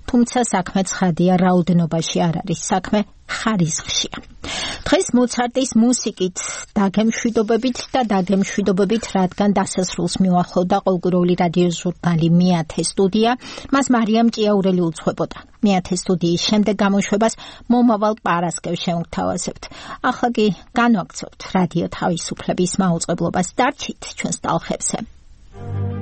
თუმცა საქმე ცხადია, რაოდენობაში არ არის, საქმე ხარისხშია. დღეს მოცარტის მუსიკით დაგემშვიდობებით, რადგან დასასრულს მიუახლოვდა ყოველკვირეული რადიო ჟურნალი მეათე სტუდია, მას მარიამ ჭიაურელი უძღვებოდა. მეათე სტუდიის შემდეგ გამოშვებას მომავალ პარასკევს შევთავაზებთ. ახლა კი განვაგრძობთ რადიო თავისუფლების მაუწყებლობას. დარჩით ჩვენს ტალღებზე. Thank you.